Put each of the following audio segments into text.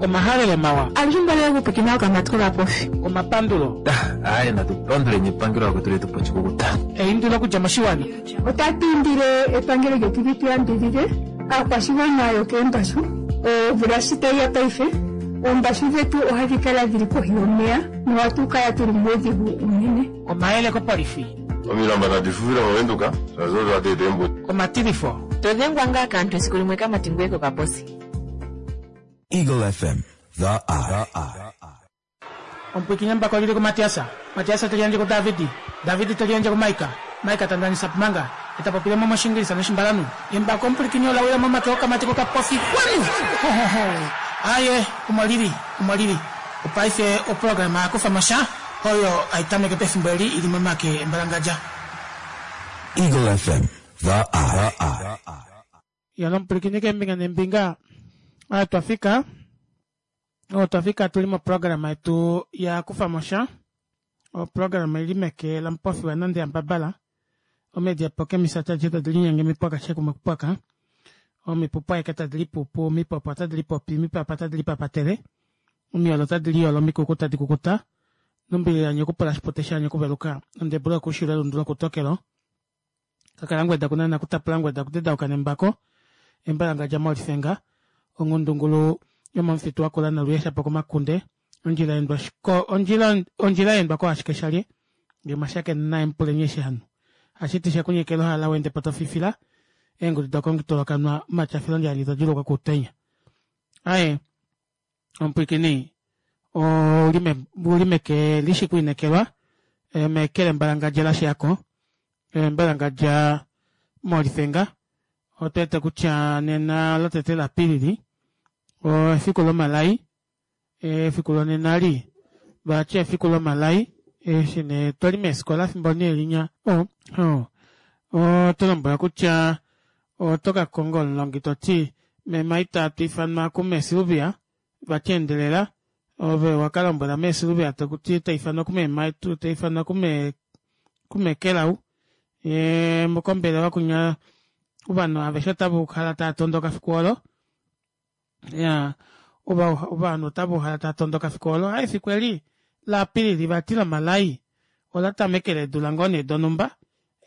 Omahalelo mawa. Alushe mbali okupwiikina okamati kovapofi. Omapandulo. Aaye natu panduleni epangelo lakwetu letu po oshikukuta. Eindilo okudja moshiwana. Otatu indile epangelo lyetu li tu yambidhidhe aakwashigwana yokeembashu. Omvula shi tayi ya paife, oombashu dhetu ohadhi kala dhili kohi yomeya nohatu kala tuli muudhigu uunene. Omayele kopolifi. Omilamba nadi fufile mOvenduka, shaashi odo hadi eta eembuto. Omatilifo. To dhengwa ngaa kaantu esiku limwe kamati ngoye kokaposi. Eagle FM, the eye. Omupwiikini embako lili kuMatiasa, Matiasa te liyandje kuDavidi, Davidi te liyandje kuMaika, Maika ta ndanisa pumanga, e ta popile mo mOshiingilisa nOshimbalanhu. Embako omupwilikini ola wila momake okamati kokapofi. Wanu! Ho, ho, ho! Aaye, omo li li, omo li li. Opaife oprograma ya kufa mo sha, oyo hai tameke pefimbo eli i li momake embalangadja. Eagle FM, the eye. Ya lomupwilikini keembinga neembinga, aa twa fika. Otwa fika tu li moprograma yetu ya kufa mo sha. Oprograma ili meke lamupofi wanande yambabala. Omedi apoke misata adishe tadi linyenge mipwaka she kumwe kupwaka. Omipupu aeke tadi lipupu, omipopo otadi lipopi, omipapa otadi lipapatele, omiyolo otadi liyolo, omikuku tadi kukuta, nombili yanye okupula shipute shanye okuveluka, ondebula okushila elundu lokutokelo. Kakalangweda kunana kutapulangweda kutedauka nembako embalangadja molifenga onghundungulu yomomufitu wakula noluyesha pokomakunde ondjila endwa shiko ondjila ondjila endwa ko ashike shalye nge mwashakena naye mupuleni eshi hanu hashiti shekunyekela ohala wende po tofifila eengudu dokongitolokanwa omatyafilo ndjali todjulukwa kuutenya aye Omupwiikini ou li meke li shi kwiinekelwa, meke lembalangadja la shiya ko, embalangadja molifenga. Otu wete kutya nena lotete laApilili efiku lomalai, efiku lonena li vati efiku lomalai eshi nee twali meefikola fimbo nee linya oto lombwelwa kutya oto ka konga omulongi to ti meme ita tu ifanwa kume Sylvia vati endelela ove waka lombwela mee Sylvia tokuti ta ifanwa kumeme ta ifanwa kume kume Kelau ye mokombelewa kunya ovanhu aveshe otava kala tava tondoka fiku olo ya ovanhu otava uhala tava tondoka fiku olo ha efiku eli laApilili vati lomalai ola tamekele eedula ngoo nee donhumba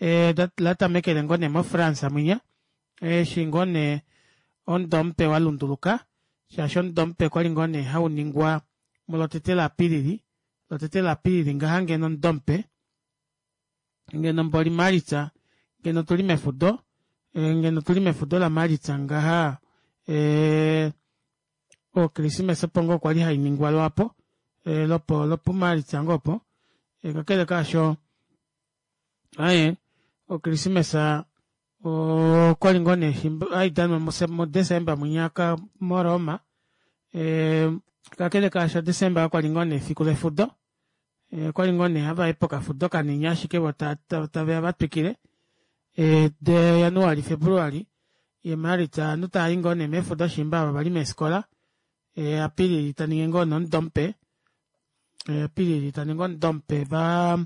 e, la tamekele ngoo nee moFrance mwinya eshi ngoo nee omudo mupe wa lunduluka shaashi omudo mupe kwali ngoo nee hau ningwa mulotete laApilili lotete laApilili ngaha ngeno omudo mupe ngeno mboli Maalitsa ngeno tuli mefudo eh, ngeno tuli mefudo laMaalitsa ngaha eh, okrismesa opo ngoo kwali hai ningwa lwapo eh, lopo lopumaalitsa ngoo opo eh, kakele kaasho aye okrismesa okwali ngoo nee hai danwa muDesemba mwinyaka moRoma eh, kakele kaasho Desemba okwali ngoo nee efiku lefudo Okwali ngoo nee hava i pokafudo kanini ashike vo tave ya va twikile. De Januali, Februali ye Maalitsa ovanhu tava i ngoo nee mefudo shimba ava vali meefikola. Apilili ta ningi ngoo nee omudo mupe. Apilili ta ningi omudo mupe va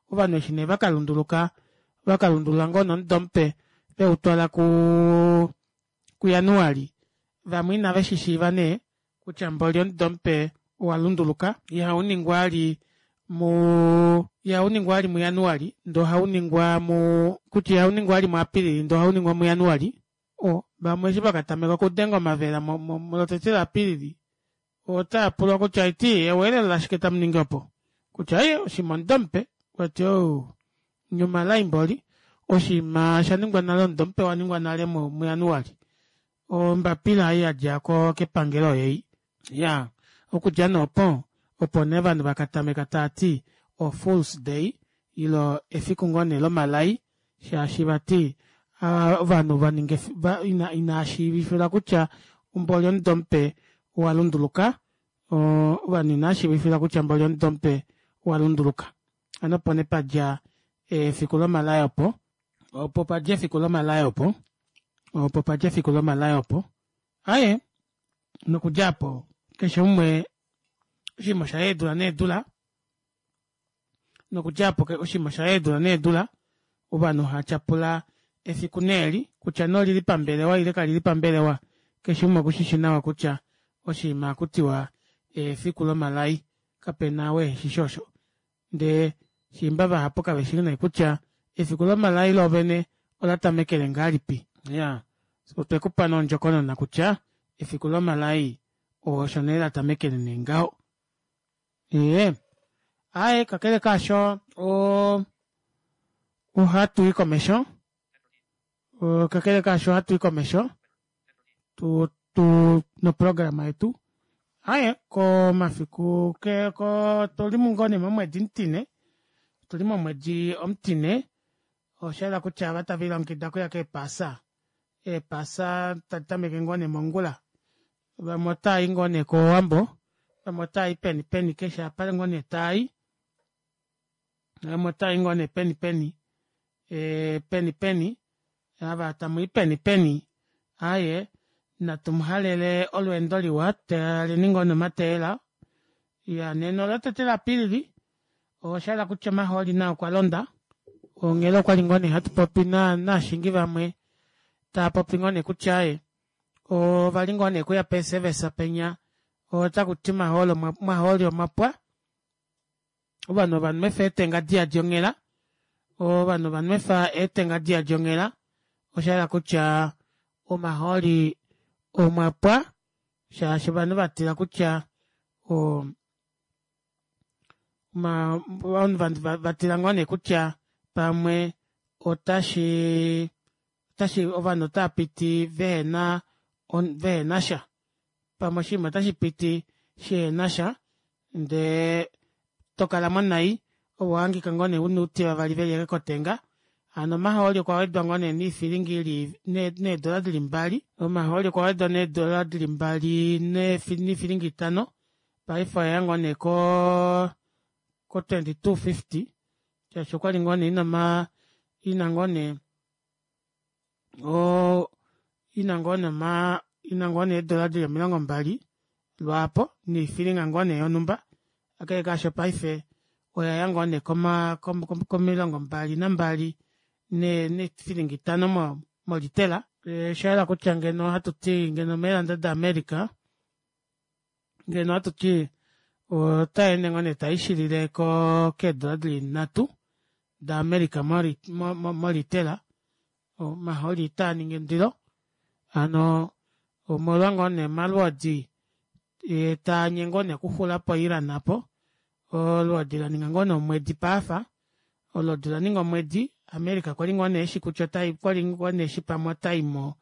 ovanhu eshi nee vaka lunduluka vaka lundulula ngoo nee omudo mupe veu twala ku kuJanuali. Vamwe inave shi shiiva nee kutya mboli omudo mupe owa lunduluka, ihau ningwa vali mu ihau ningwa vali muJanuali ndee ohau ningwa mu kutya ihau ningwa vali muApilili ndee ohau ningwa muJanuali. O, vamwe eshi va ka tameka okudenga omavela molotete laApilili otava pulwa kutya iti eweelelo lashike tamu ningi opo? Kutya ye oshinima omudo mupe. Vati oh, nye omalai mboli, oshinima sha ningwa nale omudo mupe owa ningwa nale muJanuali. Ombapila ei ya dja ko kepangelo oyei. Ya, okudja nee opo, opo nee ovanhu va ka tameka tava ti o Fools Day, ilo efiku ngoo nee lomalai, shaashi vati ovanhu va ninga ina, inaa shiivifilwa kutya mboli omudo mupe owa lunduluka, ovanhu inaa shiivifilwa kutya mboli omudo mupe owa lunduluka. Hano opo nee pa dja efiku lomalai opo. Opo pa dja efiku lomalai opo. Opo pa dja efiku lomalai opo. Aye, nokudja apo keshe umwe oshinima osha eedula needula. Nokudja apo oshinima osha eedula needula. Ovanhu ha tyapula efiku neeli kutya nee olili pambelewa ile kalili pambelewa. Keshe umwe oku shi shi nawa kutya. oshinima hakutiwa efiku lomalai kapena ou eheshi osho ndee shiimba vahapu kaveshi nee kutya efiku lomalai loovene olatamekele ngahelipi. Iyaa otwekupa nee ondjokonona kutya efiku lomalai osho nee latamekele nee ngaho. Ee aaye kakele kaasho oo ohatui komesho kakele kaasho ohatui komesho tu tu noprograma yetu aaye komafiku ko otuli ngoo nee momwedi omutine otuli momwedi omutine oshayela kutya ava tavelilongekida okuya keepaasa eepasa tadi tameke ngoo nee mongula vamwe otaayi ngoo nee kowambo vamwe otaayi peni peni keshe apa ngoo nee taayi vamwe otaayi ngoo nee peni peni peni peni ava tamwii peni peni aaye natu muhalele olweendo liwa taleni ngoo nee omateyela iyaa nena olo tete la apilili oshahala kutya omahooli nao okwalonda onghela okwali ngoo nee hatupopi novashingi vamwe taapopi ngoo nee kutya aaye ovali ngoo nee okuya pee service penya otakuti omahooli omwapwa ovanhu ovanwefa eetenga diyadi onghela ovanhu ovanwefa eetenga diyadi onghela oshahala kutya omahooli omwapwa shaashi ovanhu vatila kutya oo ovanhu vatila ngoo nee kutya pamwe otashi otashi ovanhu otaapiti vehena vehenasha pamwe oshinima otashipiti shihenasha ndee tokalamo nai ove ohahangika ngoo nee una outi vavali veli ashike kotenga hano omahooli okwa wedwa ngoo nee noifilingi ili needola dili mbali omahooli okwa wedwa needola dili mbali noifilingi itano paife oyaya ngoo nee koo ko 22.50 shaashi okwali ngoo nee ina omaa ina ngoo nee oo ina ngoo nee omaa ina ngoo nee eedola dili 20 lwaapo noifilinga ngoo nee yonumba kakele kaasho paife oyaya ngoo nee koma ko 22 noifilinga itano molitela oshayela kutya ngeno ohatuti ngeno meeranda da america ngeno ohatuti otayeende ngoo nee taishilile keedola dili nhatu da america molitela omahooli itaaningi ondilo hano omolwa ngoo nee omalwoodi taanyengwa ngoo nee okuxula po iran aapo olwoodi laninga ngoo nee omwedi paafa olwoodi olaninga omwedi america kwali ngoo nee eshi kutya okwali ngoo nee eshi pamwe otaimo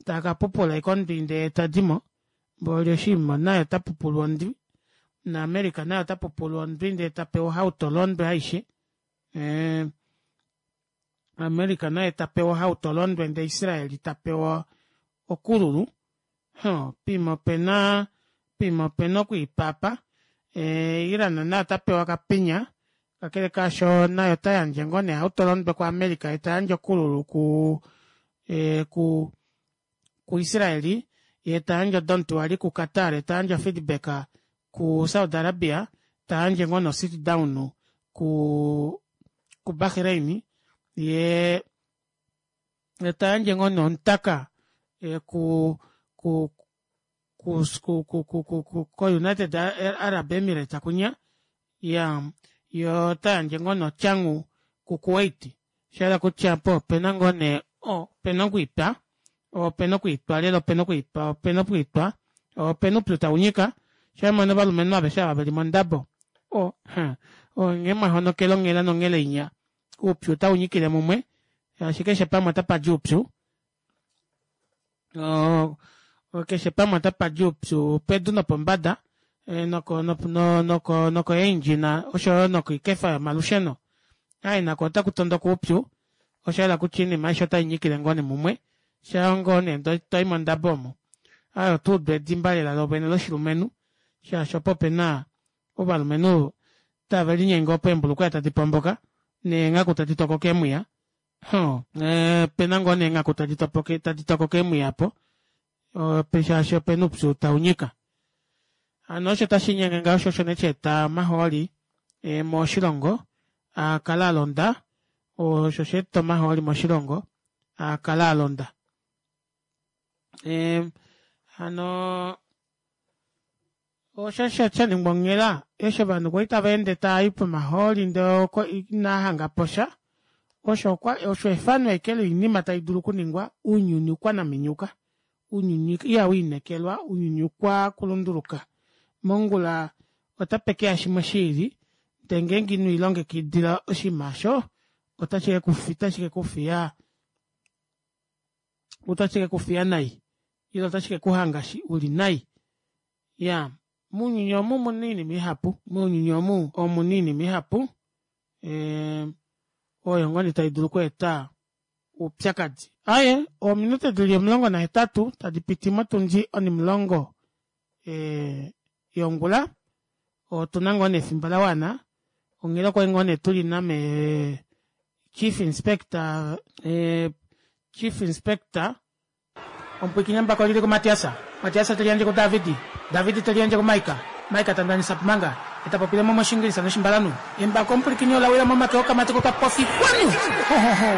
takapupula ashike ondwi ndee tadimo mboli oshiima naye otapupulwa ondwi na america naye otapupulwa ondwi ndee tapewa ohauto londwe aishe ee america naye tapewa ohauto londwe ndee israel tapewa okululu huh, poima opena poima opena okwiipapa ee iran naye otapewa okapinya kakele kaasho naye otayandje ngoo nee ohauto londwe ku america yee tayandje okululu ku ee ku ku israel yee tayandje odontuali ku qatar yee tayandje ofeedback ku saudi arabia tayandje ngoo no sit down ku ku bahrain yee tayandje ngoo nee omutaka ku ku ku ku ku ku ko united arab emirates kunya iya yoo otayandje ngoo nee otyangu ku kuwait Osha yela kutya opo opena ngoo nee opena okwiitwa, opena okwiitwa lela opena okwiitwa, opena okwiitwa, opena oupyu taunyika, shamona ovalumenhu aveshe ava veli mondabo o ha onghee mwahonokele onghela nonghela inya oupyu otaunyikile mumwe shaashi keshe pamwe otapadi oupyu keshe pamwe otapadi oupyu pedu nopombada noko noko noko eendjina oshoyo nokoikefa yomalusheno aye nako otaku tondoka oupyu oshayela kutya oinima aishe otai nyikile ngoo nee mumwe shaa ngoo nee toi mondabo omo aye oto udu edimba lela lovene loshilumenhu shaashi opo opena ovalumenhu tave linyenge opo eembulukweya tadi pomboka neenghaku tadi tokoka eemwiya Huh, opena ngoo nee eenghaku tadi topoke tadi tokoka eemwiya apo shaashi opena oupyu tau nyika. Hano osho tashi linyenge ngaho sho osho nee sha eta omahooli moshilongo a kale a londa, osho sha eta omahooli moshilongo a kale a londa. Hano. Osho sha ningwa onghela eshi ovanhu kwali tava ende tava i pomahooli ndee inaa hangapo sha osho osho efano ashike loinima taidulu okuningwa ounyuni ukwanaminyuka ounyuni ihawiinekelwa ounyuni ukwa kulunduluka mongula otapekeya shimwe shiili ndee ngeenge inwiilongekidila oshinima aasho otashi kekufiya otashi kekufiya nai ile otashi kekuhanga uli nai iyaa mounyuni omu omuna oinima ihapu mounyuni omu omuna oinima ihapu oyo ngoo nee taidulu okweeta oupyakadi. Aaye ominute dili 18 tadipiti motundi onimulongo yongula otuna ngoo nee efimbo lawana onghela okwali ngoo nee tuli name chief inspector chief inspector Omupwiikini embako oli li kuMatias, Matias te li yandje kuDavid, David te li yandje kuMaika, Maika ta ndanisa Pumanga, e ta popile mo mOshiingilisa nOshimbalanhu. Embako omupwilikini ola wila momake okamati kokapofi. Xwanu! Ho, ho, ho!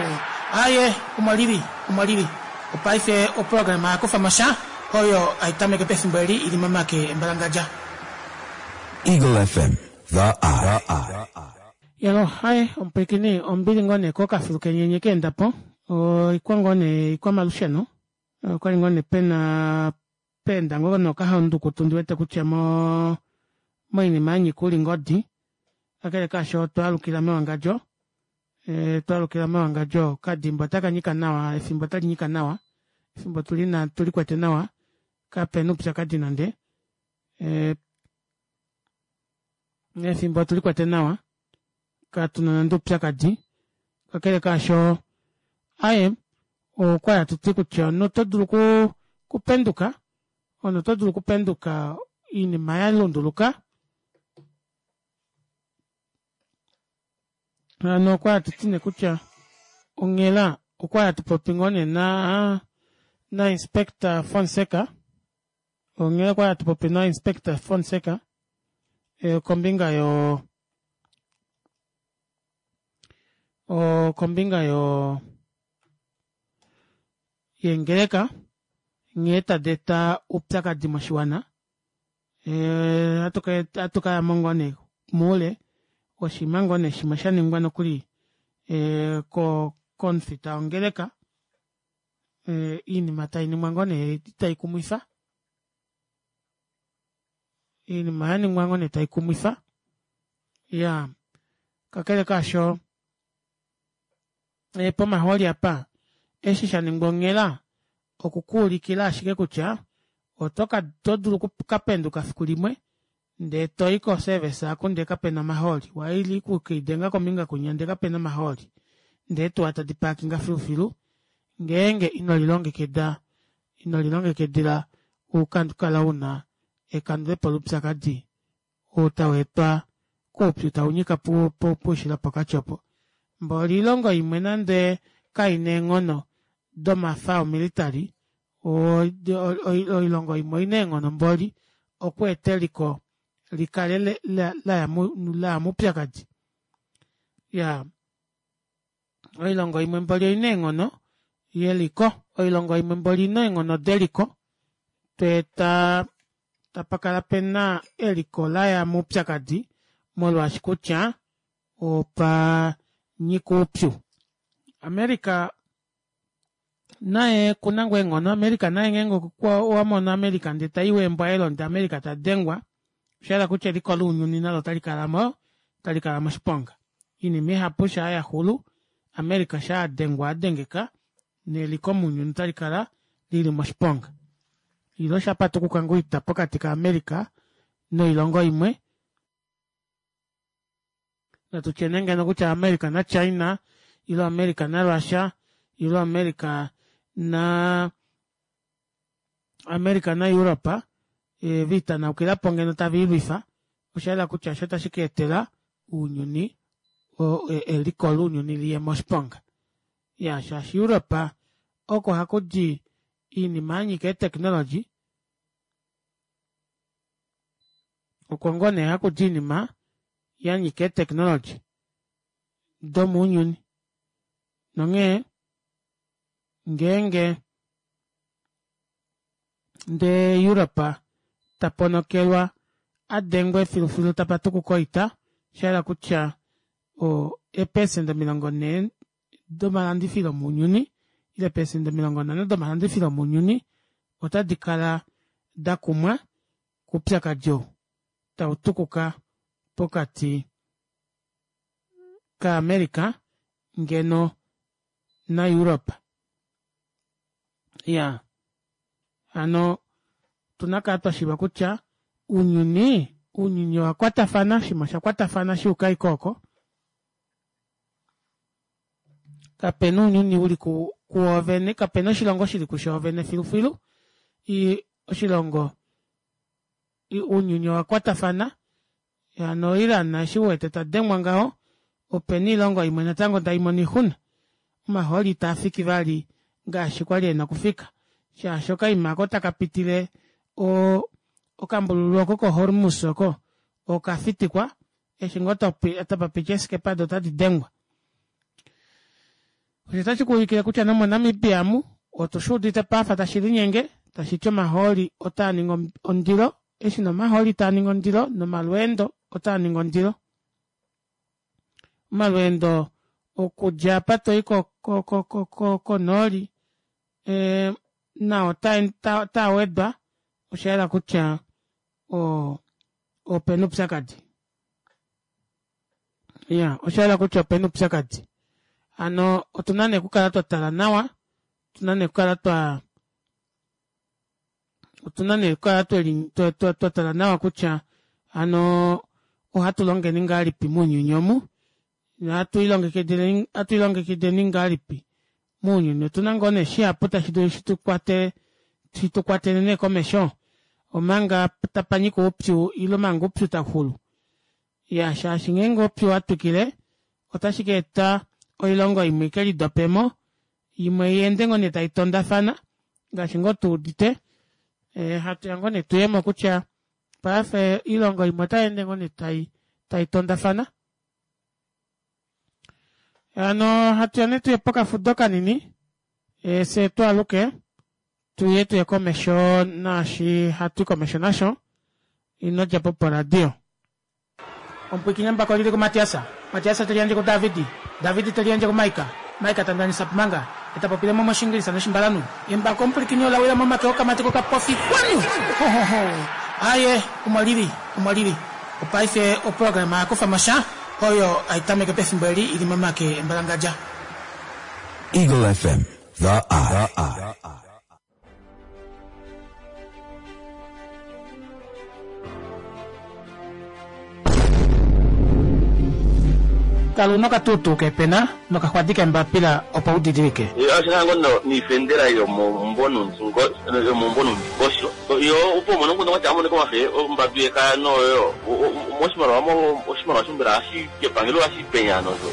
Aaye, omo li li, omo li li. Opaife oprograma ya kufa mo sha, oyo hai tameke pefimbo eli i li momake embalangadja. Eagle FM, The Eye. Yalo, haye, omupwilikini, ombili ngoo nee kokafilu kenyenye ka enda po. Oikwa ngoo nee ikwamalusheno. Okwali ngoo nee pena peenda ngoo nee okahaundukutu ndi wete kutya mo moinima ya nyika oulingodi. Kakele kaasho otwa alukila mewangadjo. E, twa alukila mewangadjo. Okadimba otaka nyika nawa, efimbo otali nyika nawa. Efimbo tuli na tuli kwete nawa. Kapena oupyakadi nande. E, efimbo otuli kwete nawa. Katuna nande oupyakadi. Kakele kaasho, aye, okwa li hatu ti kutya omunhu oto dulu okupenduka, omunhu oto dulu okupenduka oinima ya lunduluka. Hano okwa li hatu ti nee kutya onghela okwa li hatu popi ngoo nee na na Inspector Fonseca, onghela okwa li hatu popi na Inspector Fonseca kombinga yo kombinga yo yeengeleka nghee tadi eta oupyakadi moshiwana ohatu ka yamo ngoo nee moule oshinima ngoo nee shimwe sha ningwa nokuli komufita wongeleka iinima tainingwa ngoo nee itaikumwifa iinima yaningwa ngoo nee taikumwifa iyaa kakele kaasho pomahooli apa eshi sha ningwa onghela okukuulikila ashike kutya oto ka oto dulu okukapenduka fiku limwe ndee toyi ko service aku ndee kapena omahooli waili kukiidenga kombinga kunya ndee kapena omahooli ndee eetuwa tadi paakinga filufilu ngeenge ino lilongekida ino lilongekidila ukakala una ekandulepo loupyakadi ou tau etwa koupyu tau nyika poushilo pokati opo. Mboli oilongo imwe nande kai na eenghono domafa omilitali, oilongo imwe oi na eenghono mboli okweeta eliko li kale la ya moupyakadi. Ya oilongo imwe mboli oi na eenghono yeliko, oilongo imwe mboli oi na eenghono deliko, tweeta tapa kala pe na eliko la ya moupyakadi molwaashi kutya opa nyika oupyu. America naye okuna ngoo eenghono, America naye ngeenge owa mono America ndee taiwa eembwa elo ndee America ta dengwa, osha hala kutya eliko lounyuni nalo otali kala mo otali kala moshiponga. Oinima ihapu shaa ya xulu, America shaa adengwa adengeka neliko mounyuni otali kala lili moshiponga. Ile sha patukuka ngoo oita pokati ka America noilongo imwe, natu tye nee ngeno kutya America na China ile America na Russia ile America na America na Europe viitanaukilapo ngeno tava ilwifa, osha yela kutya osho tashi ka etela ounyuni eliko lounyuni liye moshiponga. Ya shaashi Europe oko haku di iinima ya nyika eeteknologi, oko ngoo nee haku di iinima ya nyika eeteknologi domounyuni. Nonghee ngeenge ndee Europe ta ponokelwa. a dengwe filufilu tapa tukuka oita, osha yela kutya o eepesenda 40 domalandifilo mounyuni ile eepesenda 50 domalandifilo mounyuni otadi kala da kumwa koupyakadi ou tau tukuka pokati kaAmerica ngeno naEurope. Ya hano otuna kala twa shiiva kutya ounyuni ounyuni owa kwatafana shimwe osha kwatafana shuuka iko oko kapena ounyuni uli kuwoovene kapena oshilongo shili kushoovene filufilu oshilongo ounyuni owa kwatafana hano Iran eshi uwete ta dengwa ngaho opena oilongo imwe natango tai mono oixuna omahooli itaa fiki vali ngaashi kwali ena okufika shaashi okaima oko taka pitile o okambululu oko ko Hormuz oko okafitikwa eshi ngoo tapa piti eeskepa do otadi dengwa. Osho otashi kuulikile kutya nomoNamibia amu otu shi udite pafa tashi linyenge tashi ti omahooli otaa ningi ondilo eshi nomahooli taa ningi ondilo nomalweendo otaa ningi ondilo. Omalweendo okudja apa toi konooli e, nao otaa wedwa osha yela kutya opena oupyakadi. Ya osha yela kutya opena oupyakadi. Hano otuna nee okukala twa tala nawa, otuna nee okukala twa otuna nee okukala twa tala nawa kutya hano ohatu longeni ngahelipi mounyuni omu ohatu ilongekideni ngahelipi mounyuni otuna ngoo nee shihapu tashi dulu shi tu kwatele nee komesho omanga tapa nyika oupyu ile omanga oupyu tauxulu ya shaashi ngeenge oupyu wa twikile otashi ka eta oilongo imwe ike lidopemo imwe iende ngoo nee tai tondafana ngaashi ngoo tu udite e, hatu ya ngoo nee tuyemo kutya paife oilongo imwe otai ende ngoo nee tai tai tondafana hano hatu ya nee tuye pokafudo kanini e, fye twaaluke tuye tuye komesho naashi hatu komesho nasho ino dja po poradio. Omupwiikini embako oli li kuMatias, Matias te liyandje kuDavid, David te liyandje kuMaika, Maika ta ndanisa Pumanga, e ta popile mo mOshiingilisa nOshimbalanhu. Embako omupwilikini ola wila momake okamati kokapofi. Kwanu! Ho, ho, ho! Aaye, omo li li, omo li li. Opaife oprograma ya kufa mo sha, oyo hai tameke pefimbo eli i li momake embalangadja. Eagle FM, the eye. Kala una okatuutuu keepena nokaxwadi keembapila opo u didilike. Oshihango niifendela yomomumvo nuundingosho yo opo umone omukundu gwa tya amonike omafe ombambi yekaya noyo moshimaliwa oshimaliwa sho mbela ohashi kepangelo ohashi penya nosho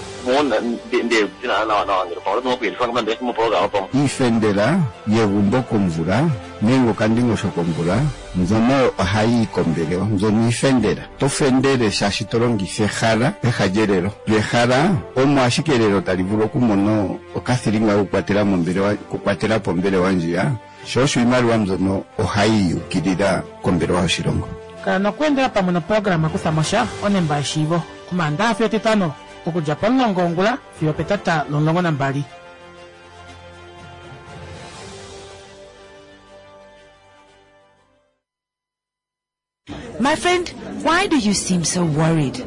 Iifendela yegumbo komvula nenge okandingosho komvula mbyono ohayi yi kombelewa. Mbyono iifendela. Oto fendele shaashi to longitha ehala peha lyelelo. Lyo ehala omo ashike elelo tali vulu okumona okathilinga kokukwatela mombelewa, okukwatela po ombelewa ndjiya. Sho osho iimaliwa mbyono ohayi yukilila kombelewa yoshilongo. Kala nokweendela pamwe noprograma Kutha mo sha, Onemba yeshiivo, Omaandaxa fiyo Etitano, okudja pomulongo wongula fiyo opetata lomulongo nambali. My friend, why do you seem so worried?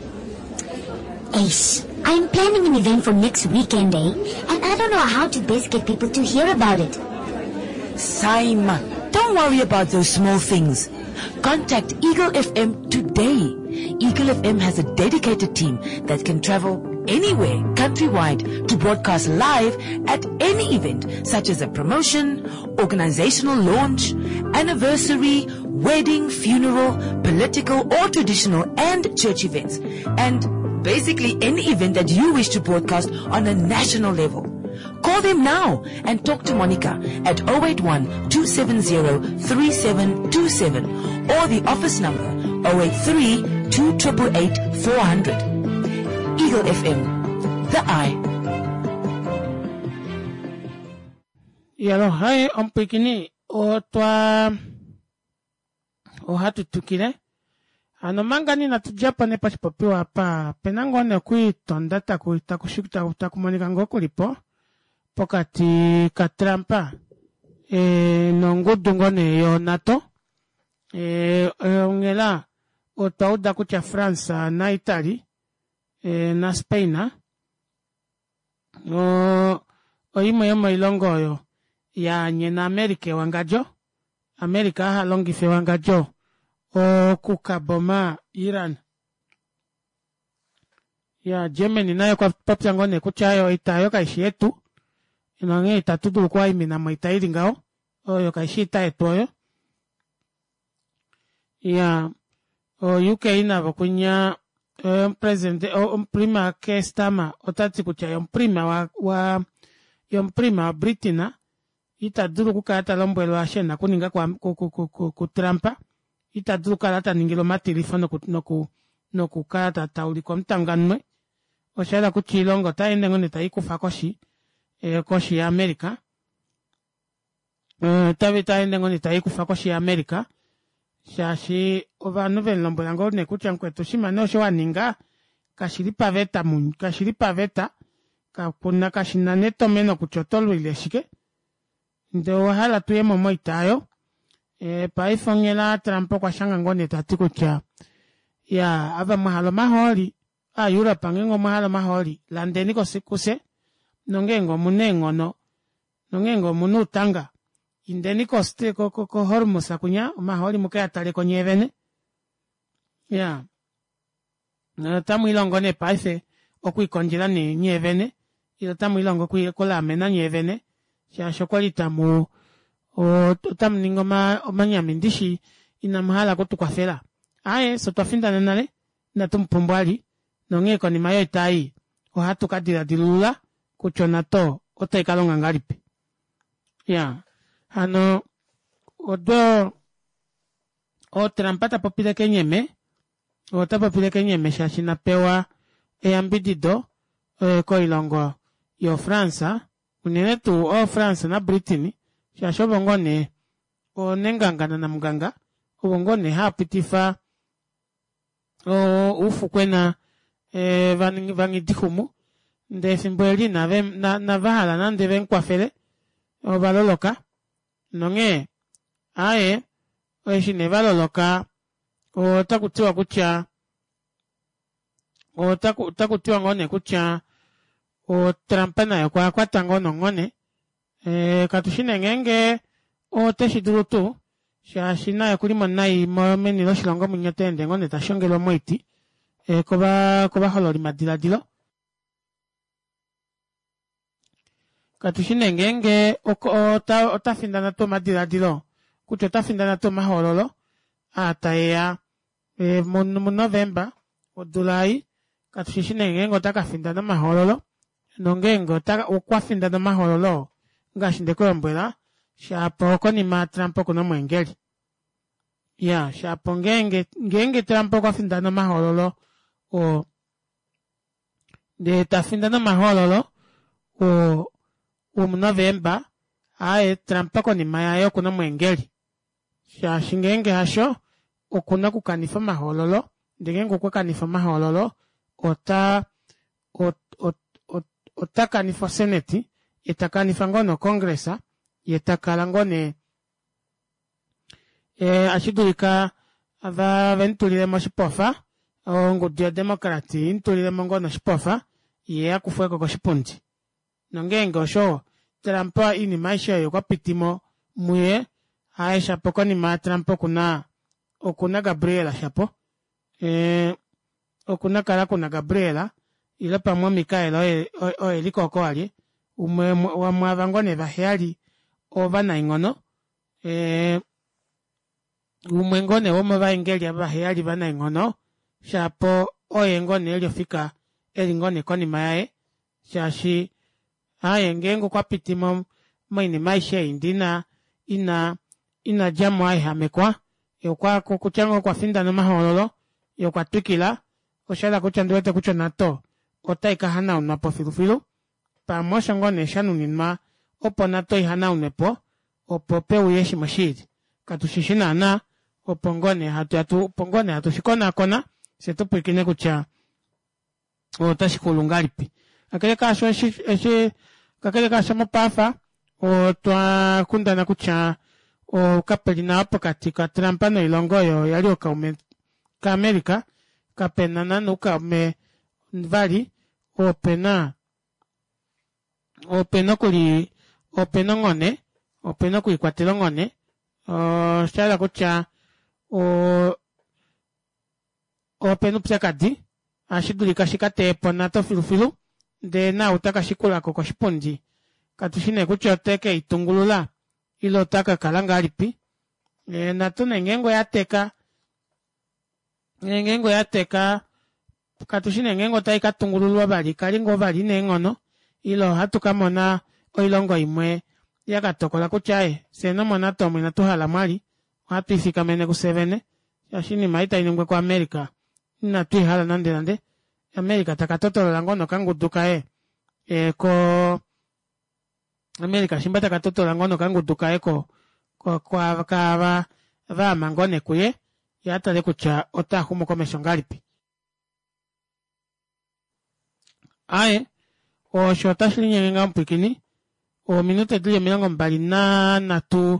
Ace, I'm planning an event for next weekend, eh? And I don't know how to best get people to hear about it. Saima, don't worry about those small things. Contact Eagle FM today. Eagle FM has a dedicated team that can travel anywhere countrywide to broadcast live at any event such as a promotion, organizational launch, anniversary, wedding, funeral, political or traditional and church events. And basically any event that you wish to broadcast on a national level. Call them now and talk to Monica at 081 270 3727 or the office number 083 2888 400. Eagle FM, the eye. Yalo, hai omupwiikini otwa ohatu tukile. Hano manga nee inatu djapo nee poshipopiwa apa, opena ngoo nee okwiitonda taku taku taku monika ngoo kulipo pokati kaTrump nongudu ngoo nee yoNato. Onghela otwa uda kutya France naItaly naSpain oimwe yomoilongo oyo yaanyena America ewangadjo. America aha longife ewangadjo okukaboma Iran. Ya Germany naye okwa popya ngoo nee kutya ayo oita oyo kaishi yetu nonghee itatu dulu okuwaimina moita ili ngaho, oyo kaishi oita yetu oyo. Ya o UK navo kunya omupresidente omuprima Keir Starmer ota ti kutya ye omuprima wa, wa ye omuprima waBritain ita dulu okukala ta lombwelwa eshi e na okuninga kuTrump, ita dulu okukala ta ningilwa omatilifo nokukala ta ulikwa omutanganwe. Osha yela kutya oilongo otai ende ngoo nee tai kufa koshi koshi yaAmerica, otai ende ngoo nee tai kufa koshi yaAmerica shaashi ovanhu ve mu lombwela ngoo nee kutya mukwetu oshinima nee osho wa ninga kashi li paveta, kashi li paveta, kakuna kashi na netomeno kutya oto lwile shike ndee owa hala tuye mo moita oyo. Paife onghela Trump okwa shanga ngoo nee ta ti kutya ya ava mwa hala omahooli aaEurope ngeenge omwa hala omahooli landeni kuse nongeenge omuna eenghono nongeenge omuna uutanga indeni koHormuz kunya omahooli muke a taleko nyee vene. Ya otamu ilongo nee paife okwiikondjela nee nyee vene ile otamu ilongo okulaamena nyee vene shaashi okwali tamu otamu ningi omanyami ndishi inamu hala okutukwafela. Aaye fye otwa findana nale inatu mu pumbwa vali nonghee konima yoita ei ohatu ka diladilulula kutya oNATO otai ka longa ngahelipi. Ya hano odo oTrump ta popile kenyeme, ota popile kenyeme shaashi na pewa eyambidido koilongo yoFrance, unene tuu ooFrance naBritain, shaashi ovo ngoo nee oonenganga nanamunganga, ovo ngoo nee hava pitifa oufukwena vangidixumu, ndee efimbo eli inava hala nande vemukwafele, ova loloka nonghee aaye eshi nee va loloka otaku tiwa kutya otaku tiwa ngoo nee kutya oTrump naye okwa kwatwa ngoo nonghone. Katu shi nee ngeenge ote shi dulu tuu shaashi naye okuli mo nai meni loshilongo mwinya ota ende ngoo nee ta shongelwa moiti kovahololi madiladilo. Katu shi nee ngeenge ota findana tuu omadiladilo kutya ota findana tuu omahoololo aa taeya muNovemba odula ei. Katu shi shi nee ngeenge ota ka findana omahoololo nongeenge okwa findana omahoololo ngaashi nde ku lombwela shapo konima Trump oku na omweengeli. Ya shapo ngeenge ngeenge Trump okwa findana omahoololo oo ndee ta findana omahoololo oo womuNovemba, aaye Trump konima yaye oku na omweengeli. Shaashi ngeenge hasho oku na okukanifa omahoololo, ndee ngeenge okwa kanifa omahoololo ota ota kanifa osenate, ye ta kanifa ngoo nocongress, ye ta kala ngoo nee ashi dulika ve mutulile mo oshipofa, ongudu yoDemocrat i mutulile mo ngoo noshipofa, ye a kufwe ko koshipundi. Nongeenge osho, Trump oinima aishe oyo okwa piti mo muye, haye shapo konima yaTrump oku na oku na Gabriel shapo. Oku na kala ku na Gabriel ile pamwe oMikael oye oye li ko oko alye, umwe womwaava ngoo nee vaheyali ovanaenghono. Umwe ngoo nee womovaengeli ava vaheyali ovanaenghono, shapo oye ngoo nee eli ofika eli ngoo nee konima yaye, shaashi aye ngeenge okwa piti mo moinima aishe ei ndee ina ina ina dja mo a ehamekwa, ye okwa kutya ngoo okwa findana omahoololo, ye okwa twikila, osha yela kutya ondi wete kutya oNATO otai ka hanaunwa po filufilu. Pamwe osho ngoo nee sha nuninwa opo NATO i hanaunwe po, opo pe uye shimwe shi ili. Katu shi shi naanaa. Opo ngoo nee hatu ya tu opo ngoo nee hatu shi konaakona fye tu pwilikine kutya otashi xulu ngahelipi. Kakele kaasho eshi eshi kakele kaasho mopaafa otwa kundana kutya kape li nawa pokati kaTrump noilongo oyo yali ookaume kaAmerica kapena naana oukaume vali opena opena okuli opena onghone opena okwiikwatela onghone oshahala kutya opena oupyakadi ohashi dulika shika teyepo onato filufilu ndee naau taka shikulako koshipundi katushi nee kutya ote keitungulula ile ota kakala ngahelipi natu nee ngeenge oya teka ngeenge oya teka katushi nee ngeenge otai ka tungululwa vali ikale ngoo vali ina eenghono ile ohatu ka mona oilongo imwe ya ka tokola kutya aaye fyee nomonato omu inatu hala mwali ohatu ifikamene kufye vene shaashi oinima ei tai ningwa kuAmerica inatu i hala nande nande. America taka totolola ngoo nokangudu kaye e, ko America shimba taka totola ngoo nokangudu kaye ko kaava vaama ngoo nee kuye ye a tale kutya otaa xumu komesho ngahelipi. Aaye, osho otashi linyenge ngaho mupwilikini, ominute dili 23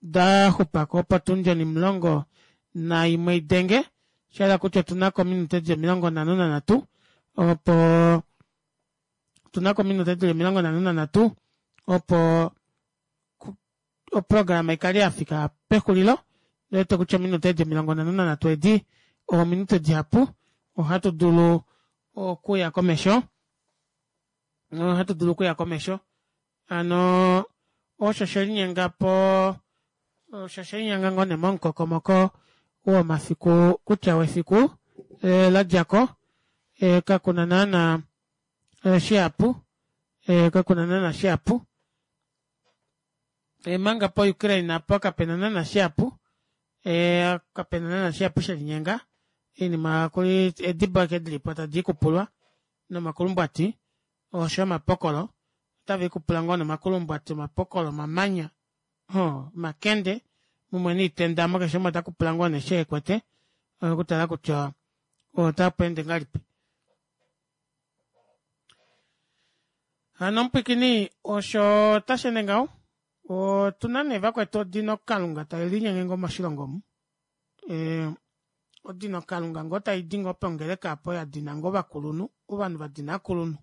da xupako opo otundi 11 i denge, sha hala kutya otu na ko ominute dili 53 opo otu na ko ominute dili 53 opo oprograma ikale ya fika pexulilo. Ndiwete kutya ominute edi 53 edi ominute dihapu, ohatu dulu okuya komesho, ohatu dulu okuya komesho. Hano osho she linyenga po, osho she linyenga ngoo nee momukokomoko womafiku kutya wefiku eh, la dja ko eh, kakuna naana eh, shihapu eh, kakuna naana shihapu E, manga po Ukraine apo kapena naana shihapu e, kapena naana shihapu shelinyenga oinima kuli edibo eke dilipo tadi ikupulwa nomakulumbwati osho omapokolo otava ikupula ngoo nomakulumbwati omapokolo omamanya ho omakende mumwe niitenda mo keshe umwe ota kupula ngoo nee sheekwete okutala kutya otapu ende ngahelipi. Hano omupwikini osho tashi ende ngaho. Otu na nee vakwetu odino kalunga tai linyenge ngoo moshilongo omu. E, odino kalunga ngoo tai di ngoo pongeleka apo ya dina ngoo ovakulunhu, ovanhu va dina akulunhu.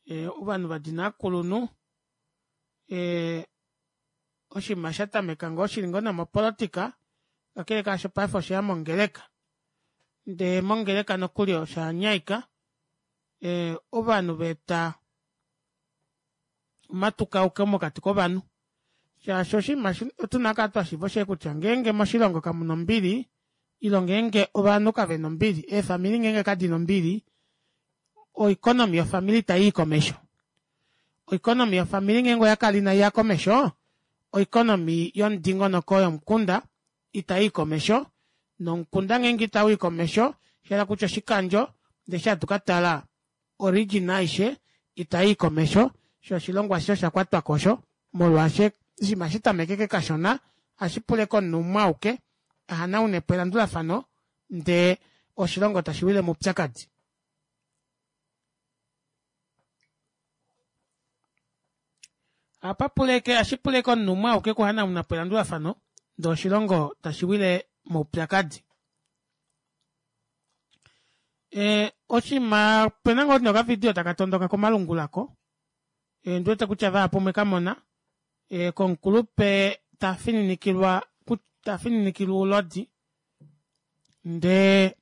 E, ovanhu va dina akulunhu e, oshinima sha tameka ngoo shili ngoo nomopolotika, kakele kaasho paife osheya mongeleka. Ndee mongeleka nokuli osha nyaika e, ovanhu va eta omatukauko mokati kovanhu shaashi oshinima otu na kala twa shiiva oshe kutya ngeenge moshilongo kamu na ombili ilo ngeenge ovanhu kave na ombili eefamili ngeenge kadi na ombili oeconomy yofamili itai i komesho oeconomy yofamili ngeenge oya kala inai ya komesho oeconomy yomudingonoko yomukunda itai i komesho, nomukunda ngeenge itau i komesho, sha hala kutya oshikandjo, ndee eshi hatu ka tala oregion aishe itai i komesho, sho oshilongo ashishe osha kwatwa kosho, molwaashe oshinima hashi tameke ke kashona, ohashi pula ashike omunhu umwe auke a hanaune po elandulafano ndee oshilongo tashi wile moupyakadi. Apa puleke ashi puleke omunhu umwe auke okuhanauna po elandulafano ndee oshilongo tashi wile moupyakadi. E, oshinima opena ngoo nokavidio taka tondoka komalungula ko e, ndi wete kutya vahapu omwe ka mona e, komukulupe ta fininikilwa ta fininikilwa oulodi ndee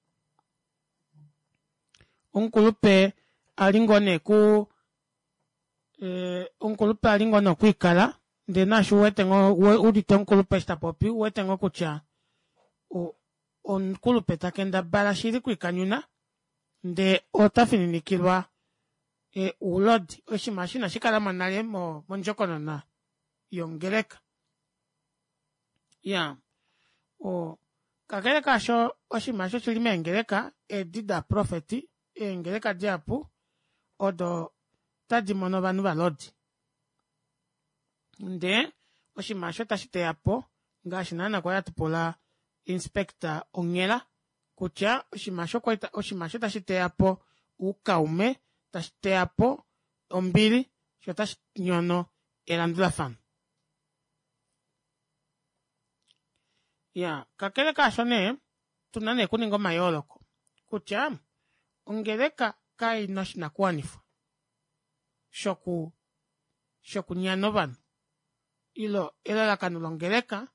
omukulupe a li ngoo nee ku eh, omukulupe a li ngoo nee okwiikala ndee naashi uwete ngoo udite omukulupe eshi ta popi uwete ngoo kutya omukulupe ta kendabala shili kwiikanyuna ndee ota fininikilwa e, oulodi oshinima eshi inashi kala mo nale mondjokonona yongeleka ya o kakele kaasho oshinima osho shili meengeleka edi daprofeti eengeleka dihapu odo tadi mono ovanhu valodi ndee oshinima osho tashi teya po Ngaashi naana kwali hatu pula inspector onghela kutya oshinima osho kwali oshinima osho tashi teya po oukaume, tashi teya po ombili, sho otashi nyono elandulafano. Ya kakele kaasho nee tuna nee okuninga omayooloko kutya ongeleka kai na oshinakuwanifwa shoku shokunyana ovanhu ilo elalakano longeleka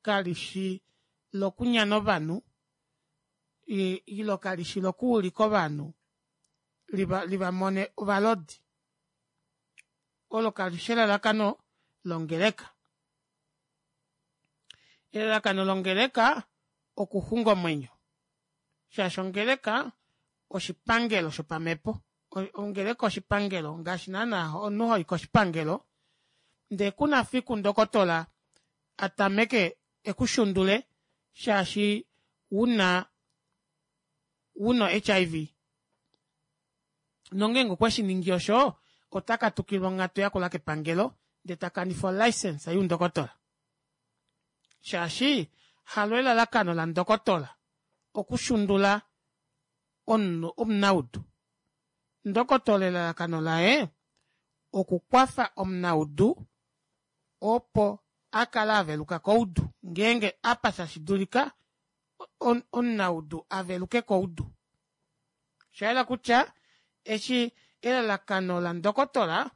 kali shi lokunyana ovanhu ilo kali shi lokuulika ovanhu liva mone ovalodi. Olo kali shi elalakano longeleka. Elalakano longeleka okuxunga omwenyo. Shaashi ongeleka oshipangelo shopamhepo. Ongeleka oshipangelo ngaashi naana omunhu hoi koshipangelo ndee kuna fiku ndokotola a tameke ekushundule shaashi una una HIV. Nongeenge okwe shi ningi osho ota katukilwa onghatu yakula kepangelo ndee takanifa olicense youndokotola. Shaashi halo elalakano landokotola okushundula omunhu omunaudu. Ndokotola elalakano laye okukwafa omunaudu opo a kale aveluka koudu ngeenge apa tashi dulika omunaudu aveluke koudu. Oshayela kutya eshi elalakano landokotola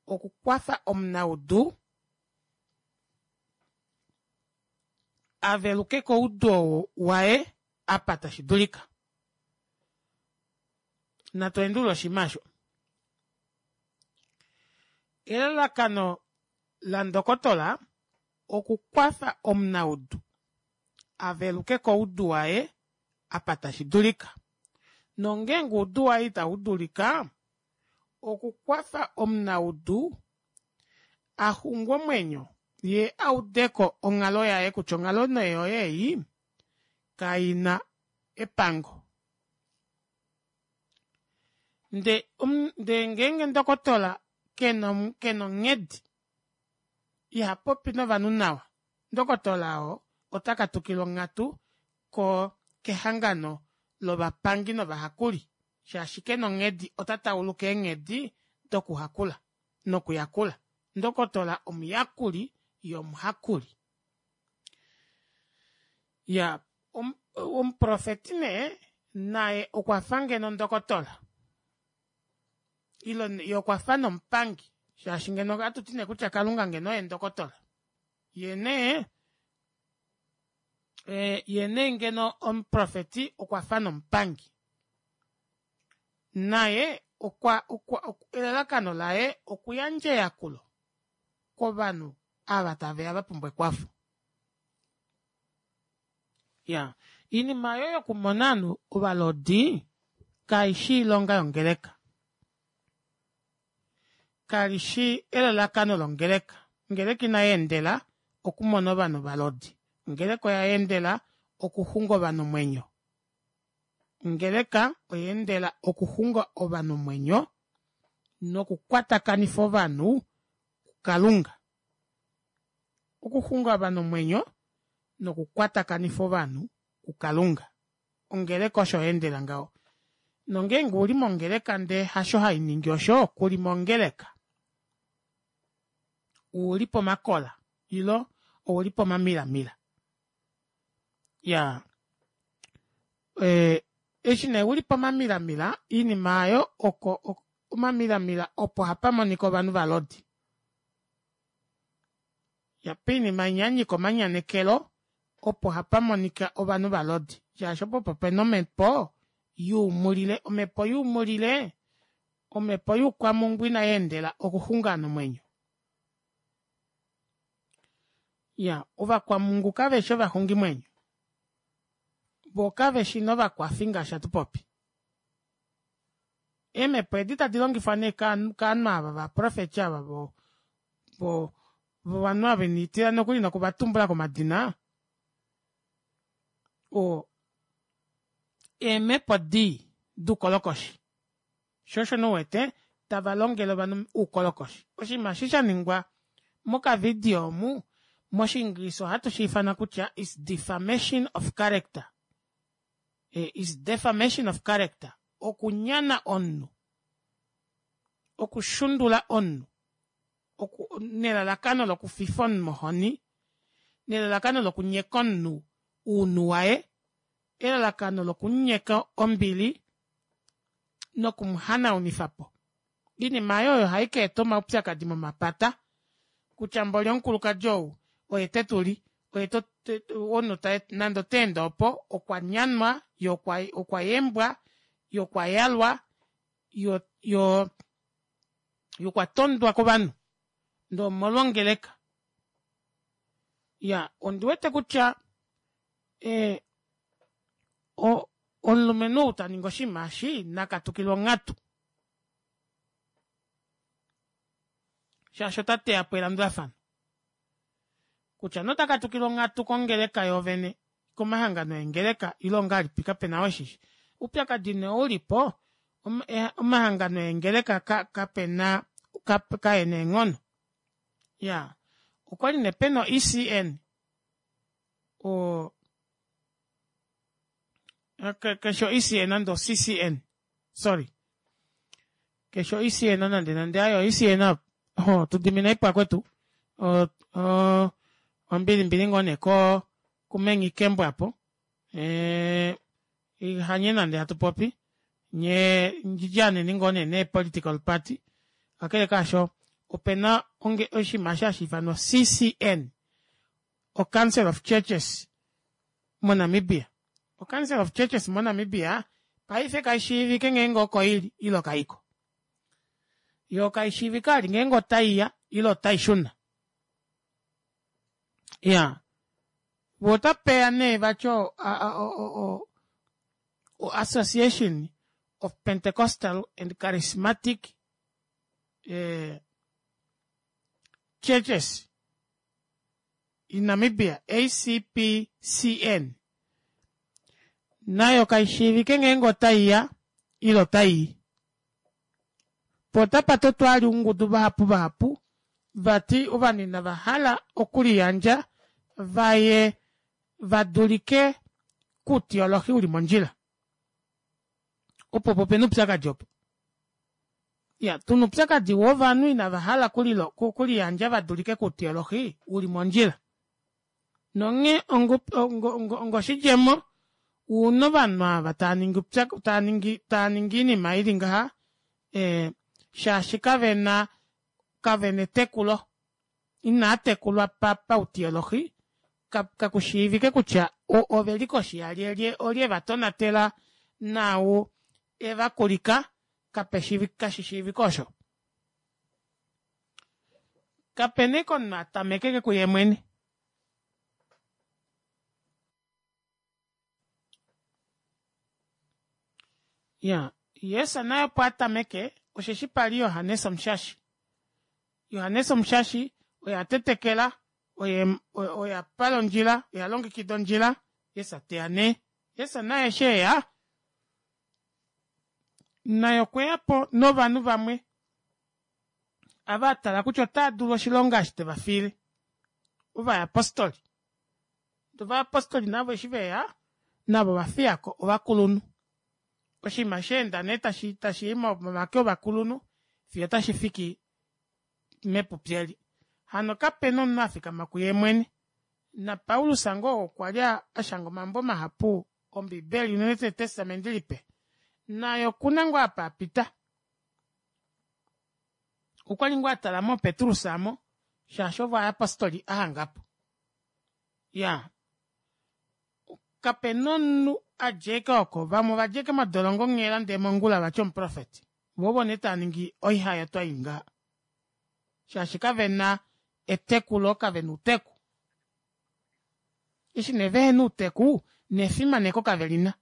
okukwafa omunaudu aveluke koudu oo waye apa tashi dulika. Natu endulule oshinima osho. Elalakano landokotola okukwafa omunaudu aveluke koudu waye apa tashi dulika. Nongeenge oudu waye itau dulika, okukwafa omunaudu a xungwe omwenyo ye audeko onghalo yaye kutya onghalo nee yoye ei kaina epango. Nde nde ngeenge ndokotola kena kena onghedi iha popi novanhu nawa, ndokotola oo ota katukilwa onghatu ko kehangano lovapangi novahakuli shaashi kena onghedi ota tauluka eenghedi dokuhakula nokuyakula. Ndokotola omuyakuli yomuhakuli. Ya omuprofeti nee naye okwa fa ngeno ndokotola ilo ye okwa fa nomupangi shaashi ngeno ohatu ti nee kutya Kalunga ngeno oye ndokotola. Ye nee ye nee ngeno omuprofeti okwa fa nomupangi. Naye okwa okwa elalakano laye okuyandja eyakulo kovanhu ava taveya va pumbwa ekwafo. Ya iinima oyo yokumona ovanhu ovalodi kaishi oilonga yongeleka. Kalishi elalakano longeleka. Ongeleka inayi endela okumona ovanhu ovalodi. Ongeleka oya endela okuxunga ovanhu omwenyo. Ongeleka oya endela okuxunga ovanhu omwenyo nokukwatakanifa ovanhu kuKalunga. Okuxunga ovanhu omwenyo nokukwatakanifa ovanhu kuKalunga. Ongeleka osho ya endela ngaho. Nongeenge uli mongeleka ndee hasho hainingi osho, kuli mongeleka. Uli pomakola ilo ouli pomamilamila. Ya eshi nee uli pomamilamila oinima aayo oko omamilamila opo hapa monika ovanhu valodi. Ya poinima inya yanyika omanyanekelo opo hapa monika ovanhu valodi shaashi opo opo pena omhepo yuumulile. Omhepo yuumulile omhepo youkwamungwi inayi endela okuxunga ovanhu omwenyo. Ya ovakwamungu kaveshi ovaxungimwenyo. Voo kaveshi novakwafi ngaashi hatu popi. Eemhepo edi tadi longifwa nee kovanhu ava ovaprofeti ava vo vo vovanhu ava ina tila nokuli nokuvatumbula komadina o eemhepo dii doukolokoshi. Sho osho nee uwete tava longele ovanhu oukolokoshi. Oshinima eshi sha ningwa mokavidio omu. Moshiingilisa ohatu shi ifana kutya is defamation of character. Eh, is defamation of character. Okunyana omunhu. Okushundula omunhu. Oku, nelalakano lokufifa omunhu mohoni. Nelalakano lokunyeka omunhu uunhu waye. Elalakano lokunyeka ombili nokumuhanaunifa po. Iinima ayo oyo hai ka eta omaupyakadi momapata kutya mboli omukulukadi ou oye te tu li oye to omunhu ta nande ota ende opo okwa nyanwa ye okwa okwa yembwa ye okwa yalwa yo yo ye okwa tondwa kovanhu ndee omolwongeleka ya ondi wete kutya eh, o, omulumenhu ou ta ningi oshinima eshi na katukilwe onghatu shaashi ota teya po elandulafano kutya nota katukilwa onghatu kongeleka yoovene komahangano eengeleka ile ongahelipi kape na weshishi oupyakadi nee ou li po omahangano eengeleka kape na kae na eenghono ya okwa li nee pena o-ECN o keshe o-ECN nande o-CCN sorry keshe o-ECN nande nande ayo o-ECN ho tudimina ipo kwetu ombili mbili ngoo nee ko kumengi kembo apo eh, hanye nande hatu popi nye ndjidjaneni ngoo nee nee political party kakele kaasho opena oshinima eshi hashi ifanwa CCN oCouncil of Churches moNamibia. OCouncil of Churches moNamibia paife kai shiivike ngeenge oko ili ile kaiko. Yo kai shiivike ali ngeenge otai ya ile otai shuna. Ya. Vo otapeya nee vati o, o, o Association of Pentecostal and Charismatic eh, Churches in Namibia, ACPCN, nayo kai shiivike ngeenge otai ya ile otai i. Po otapa totwa ali oungudu vahapu vahapu vati ovanhu inava hala okuliyandja vaye va dulike kuutiolohi uli mondjila. Opo opo pena oupyakadi opo. Ya, tuna oupyakadi wovanhu inava hala kuliyandja va dulike kuutiolohi uli mondjila. Nonghee ongoshidjemo, una ovanhu ava tava ningi tava ningi tava ningi oinima ili ngaha, eh, shaashi kavena kavena etekulo, inaa tekulwa pa pautiolohi, kakushiivike kutya ove li koshi yalyelye, olye eva tonatela naau e va kulika, kashi shiivike osho. Kape na eke omunhu a tamekeke kuye mwene. Ya, Jesus naye opo a tameke, osheshi pa li Johannes Omushashi. Johannes Omushashi oye a tetekela, oye oye a pala ondjila, oye a longekida ondjila, Jesus te ya nee. Jesus naye eshi e ya, naye okwe ya po novanhu vamwe ava a tala kutya otava dulu oshilonga eshi te va fiile, ovayapostoli. Ovayapostoli navo eshi ve ya, navo ova fiya ko ovakulunhu. Oshinima sha enda nee tashi tashi i momake ovakulunhu fiyo otashi fiki mepupi eli. Hano kape na omunhu a fikama kuye mwene. NaPaulus ngoo okwa li a shanga omambo mahapu Ombibeli, unene tuu Etestamenti Lipe, naye oku na ngoo apa a pita. Okwa li ngoo a tala mo Petrus amo, shaashi ovo ovayapostoli a hanga po. Ya, kape na omunhu a djeke oko. Vamwe ova djeke modolongo onghela ndee mongula vati omuprofeti. Vo ovo nee tava ningi oihayotwa ii ngaha. Shaashi kave na etekulo, kave na outeku. Eshi nee vehe na outeku, nefimaneko kave li na.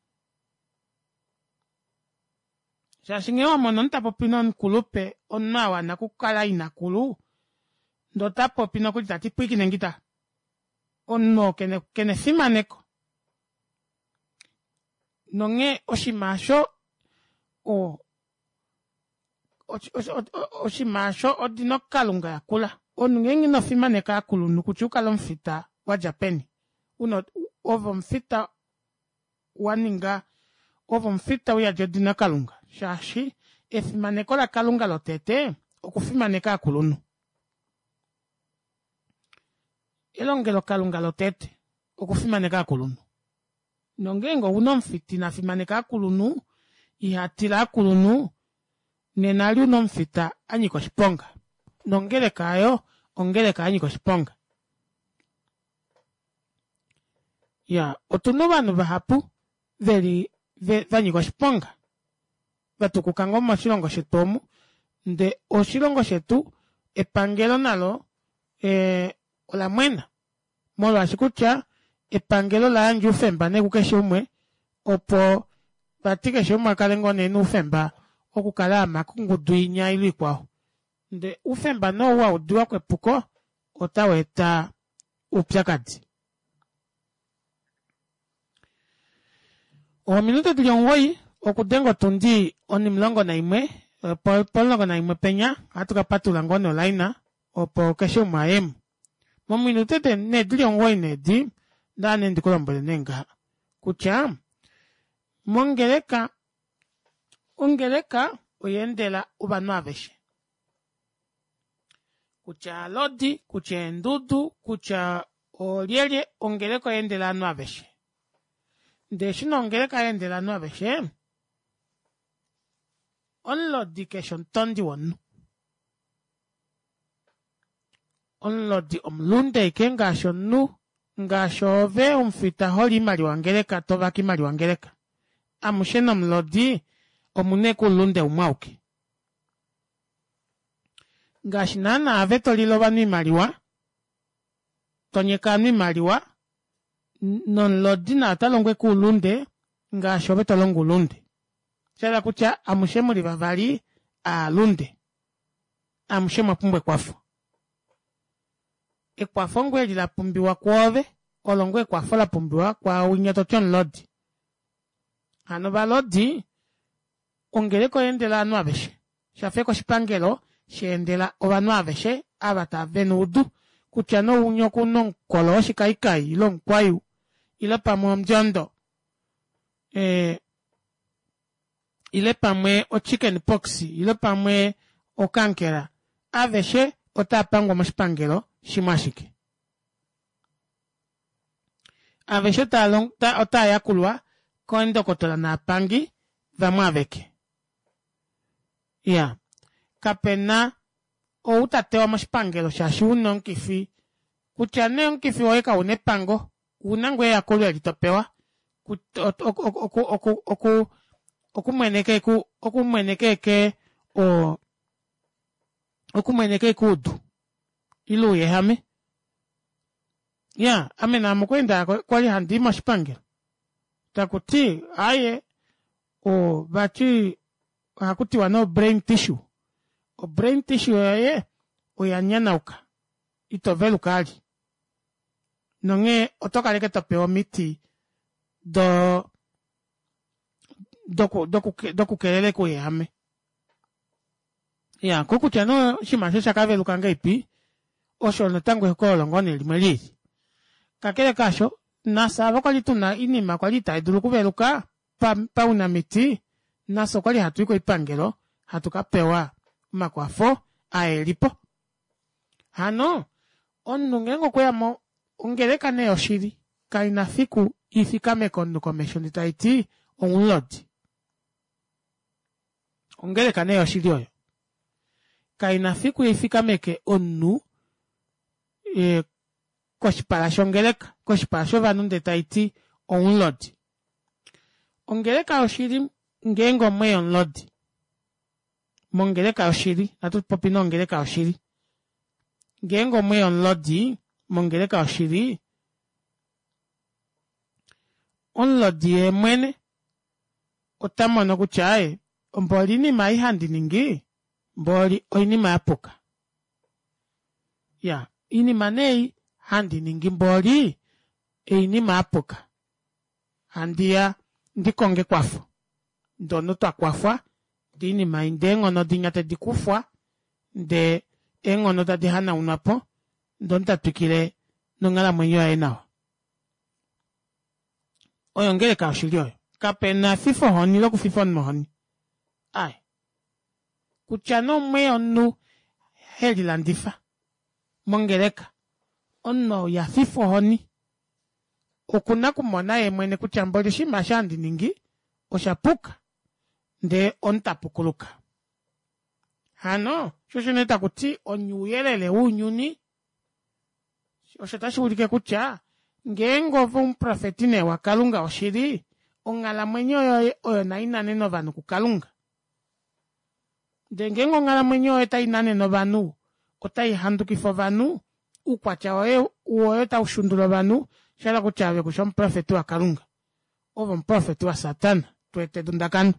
Shaashi nghee wa mona omunhu ta popi nomukulupe, omunhu a wana okukala inakulu, ndee ota popi nokuli ta ti pwiikine ngita. Omunhu oo kena kena efimaneko. Nonghee oshinima osho o oshinima osho odino kalunga yakula. Omunhu ngeenge ino fimaneka aakulunhu kutya ukale omufita wadja peni, una ove omufita wa ninga ove omufita uyadi odina kalunga shaashi efimaneko lakalunga lotete okufimaneka aakulunhu. Elongelokalunga lotete okufimaneka aakulunhu. Nongeenge ouna omufita ina fimaneka aakulunhu, iha tila aakulunhu, nena ali una omufita anyika oshiponga. Nongeleka aayo ongeleka yanyika oshiponga. Ya, otuna ovanhu vahapu veli vanyika oshiponga vatukuka ngoo moshilongo shetu omu ndee oshilongo shetu epangelo nalo ola mwena molwaashi kutya epangelo ola yandja oufemba nee kukeshe umwe opo vati keshe umwe akale ngoo nee noufemba okukala ama kongudu inya ile ikwao ndee oufemba nee ou waudiwako epuko otau eta oupyakadi. Ominute dili 9 okudenga otundi onimulongo naimwe pomulongo naimwe penya ohatu ka patulula ngoo nee olaina opo keshe umwe ayemo. Mominute nee dili 9 needi ndaa nee ndikulombwele nee ngaha kutya mongeleka ongeleka oya endela ovanhu aveshe. Kutya alodi, kutya eendudu, kutya oolyelye, ongeleka oya endela ovanhu aveshe. Ndee eshi nee ongeleka ya endela ovanhu aveshe, omulodi keshe omutondi womunhu. Omulodi omulunde ashike ngaashi omunhu, ngaashi ove omufita holi oimaliwa yongeleka tovake oimaliwa yongeleka. Amushe nomulodi omuna ashike oulunde umwe auke. Ngaashi naana ave tolile ovanhu oimaliwa, tonyeka ovanhu oimaliwa, nomulodi naye ota longo ashike oulunde ngaashi ove tolongo oulunde. Shahala kutya amushe muli vavali aalunde. Amushe mwa pumbwa ekwafo. Ekwafo ngoo eli la pumbiwa kwoove, olo ngoo ekwafo la pumbiwa kwaawinya toti omulodi. Hano ovalodi ongeleka oya endela ovanhu aveshe. Shafa ashike oshipangelo sha endela ovanhu aveshe ava tava vena oudu kutya nee ounya okuna omukolo woshikaikai ile omukwayu ile pamwe omundjondo ile pamwe ochicken pox ile pamwe okankera aveshe otava pangwa moshipangelo shimwe ashike. Aveshe otava yakulwa keendokotola naapangi vamwe aveke. Iya, kape na ou ta tewa moshipangelo shaashi u na omukifi, kutya nee omukifi woye kau na epango, ou na ngoo eyakulo eli to pewa okumweneka ashike okumweneka ashike oudu ile ouyehame. Iya, ame naame okwali nda kwali handi i moshipangelo taku ti aaye vati ohaku tiwa nee obrain tissue. Obrain tissue yoye oya nyanauka ito veluka vali nonghee oto kala ashike to pewa omiti do dokukelela ouyehame. Iya, kokutya nee oshinima osho osha ka veluka ngahelipi osho natango ehokololo ngoo nee limwe lili. Kakele kaasho, nafye ava kwali tuna oinima kwali itai dulu okuveluka paunamiti, nafye okwali hatu i koipangelo hatu ka pewa omakwafo aa elipo. Hano omunhu ngeenge okweya mo ongeleka nee yoshili kaina fiku ifikameke omunhu komesho ndee taiti omulodi. Ongeleka nee yoshili oyo kaina fiku ifikameke omunhu koshipala shongeleka koshipala shovanhu ndee taiti omulodi. Ongeleka yoshili ngeenge omweya omulodi mongeleka yoshili natu popi nee ongeleka yoshili ngeenge omweya omulodi mongeleka yoshili omulodi yeemwene ota mono kutya aaye mboli oinima ei handi ningi mboli oinima yapuka. Iya oinima nee ei handi ningi mboli oinima yapuka. Handiya ndi konge ekwafo. Ndee omunhu twa kwafwa ndee oinima ei ndee eenghono dinya tedi kufwa ndee. Eenghono tadi hanaunwa po, ndee omunhu ta twikile nonghalamwenyo yaye nawa. Oyo ongeleka yoshili oyo. Kape na efifohoni lokufifa omunhu ohoni. Ai. Kutya nee omwe omunhu he lilandifa mongeleka, omunhu ou iha fifwa ohoni. Oku na okumona ye mwene kutya mboli oshinima eshi handi ningi osha puka, ndee omunhu ta pukuluka. Hano, sho osho nee taku ti onye ouyelele wounyuni. Osho tashi ulike kutya ngeenge ove omuprofeti nee waKalunga woshili, onghalamwenyo yoye oyo nai nanene ovanhu kuKalunga. Ndele ngeenge onghalamwenyo yoye otai nanene ovanhu, otai handukifa ovanhu, oukwatya woye woye otau shundula ovanhu, osha hala kutya ove ku shi omuprofeti waKalunga. Ove omuprofeti waSatana, to eta edundakano.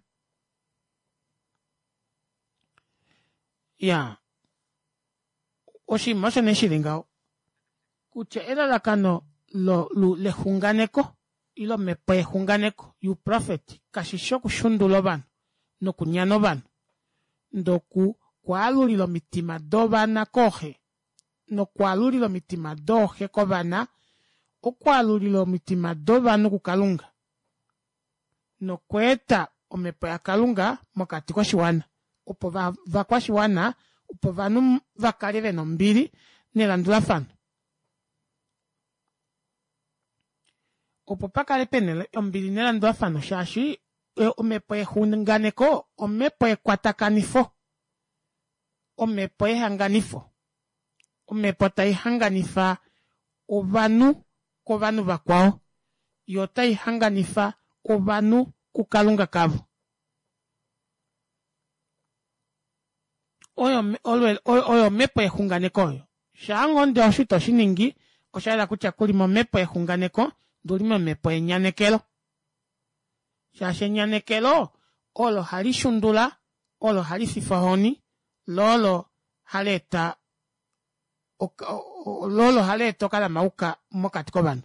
Ya, oshinima osho nee shi li ngaho kutya elalakano lo, lo, lexunganeko ile omhepo yexunganeko youprofeti kashi shi okushundula ovanhu nokunyana ovanhu, ndele oku kwaalulila omitima dovana kooxe nokwaalulila omitima dooxe kovana, okwaalulila omitima dovanhu kuKalunga nokweeta omhepo yaKalunga mokati koshiwana opo vakwashiwana opo ovanhu va kale ve na ombili nelandulafano. Opo pa kale pe na ombili nelandulafano shaashi omhepo yexunganeko omhepo yekwatakanifo, omhepo yehanganifo, omhepo tai hanganifa ovanhu kovanhu vakwao, yo otai hanganifa ovanhu kuKalunga kavo. Oyo, oyo omhepo yexunganeko oyo. Shaa ngoo ndee osho ito shi ningi, osha yela kutya ku li momhepo yexunganeko, ndee u li momhepo yenyanekelo. Shaashi enyanekelo olo hali shundula, olo hali fifa ohoni, lo olo hali eta lo olo hali eta okalamauka mokati kovanhu.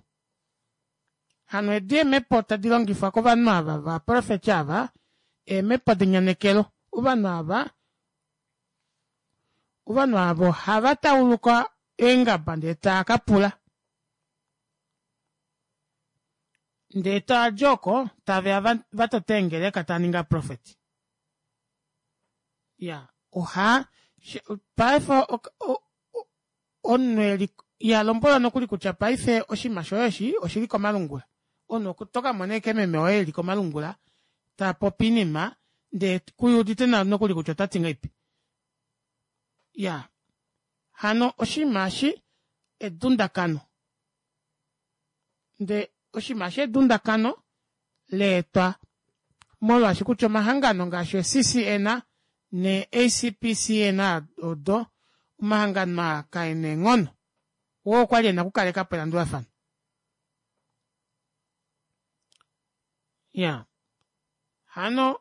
Hano edi eemhepo tadi longifwa kovanhu ava vaprofeti ava, eemhepo denyanekelo. Ovanhu ava, ovanhu ava ohava tauluka eengaba ndee taa ka pula. Ndee taa dji oko tave ya va tote eengeleka taa ningi ovaprofeti. Ya, oha, paife omunhu eli iha lombwelwa nokuli kutya paife oshinima shoye eshi oshili komalungula. Omunhu oto ka mona ashike meme woye eli komalungula ta popi oinima ndee ku udite nawa nokuli kutya ota ti ngahelipi. Ya, hano oshinima eshi edundakano. Ndee oshinima eshi edundakano leetwa molwaashi kutya omahangano ngaashi oCCN neACPCN odo omahangano aa kae na eenghono oo okwa li e na okukaleka po elandulafano. Ya hano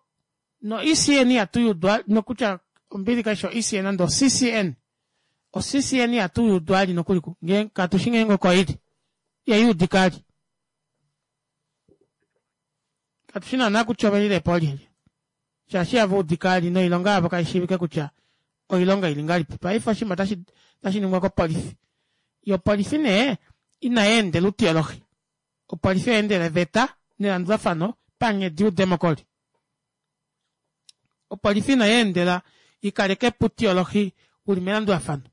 no-ECN ihatu yudwa nokutya ombili kai shi o-ECN nande o-CCN. O-CCN ihatu yudwa ali nokuli ku ngee katu shi ngeenge oko ili. Ihai udika ali. Katu shi naanaa kutya ove lile po oolyelye. Shaashi ihava udika ali noilonga yavo kai shiivike kutya oilonga ili ngahelipi. Paife oshinima otashi otashi ningwa kopolifi. Yo opolifi nee inai endela outiolohi. Opolifi oya endela eveta nelandulafano panghedi youdemokoli. Opolifi inai endela i kaleke po outiolohi u li melandulafano.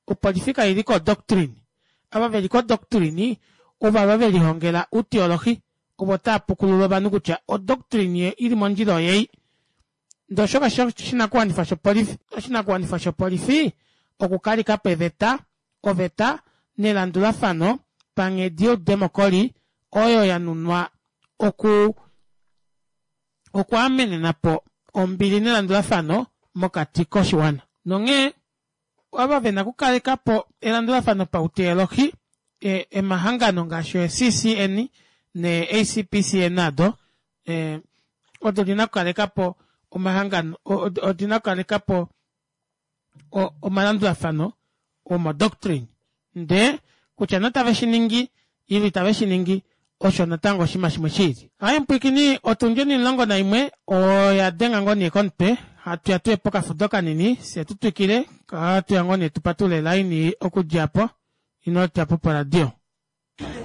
Opolifi kai li kodoctrine. Ava ve li kodoctrine ovava ve lihongela outiolohi, ovo tava pukulula ovanhu kutya odoctrine i li mondjila oyei. Ndee osho kashi shi oshinakuwanifwa shopolifi. Oshinakuwanifwa shopolifi okukaleka po eveta, oveta nelandulafano panghedi youdemokoli oyo ya nunwa oku okwaamenena po ombili nelandulafano mokati koshiwana. Nonghee ava ve na okukaleka po elandulafano pauteolohi, emahangano ngaashi oCCN neACPCN ado odo di na okukaleka po omahangano, odi na okukaleka po omalandulafano omodoctrine. Ndee kutya nee otave shi ningi ile itave shi ningi osho natango oshinima shimwe shi ili. Hai mupwiikini, otundi onimulongo naimwe oya denga ngoo nee komutwe. Hatu ya tuye pokafudo kanini fye tu twikile hatu ya ngoo nee tu patulule line okudja po ino dja po poradio.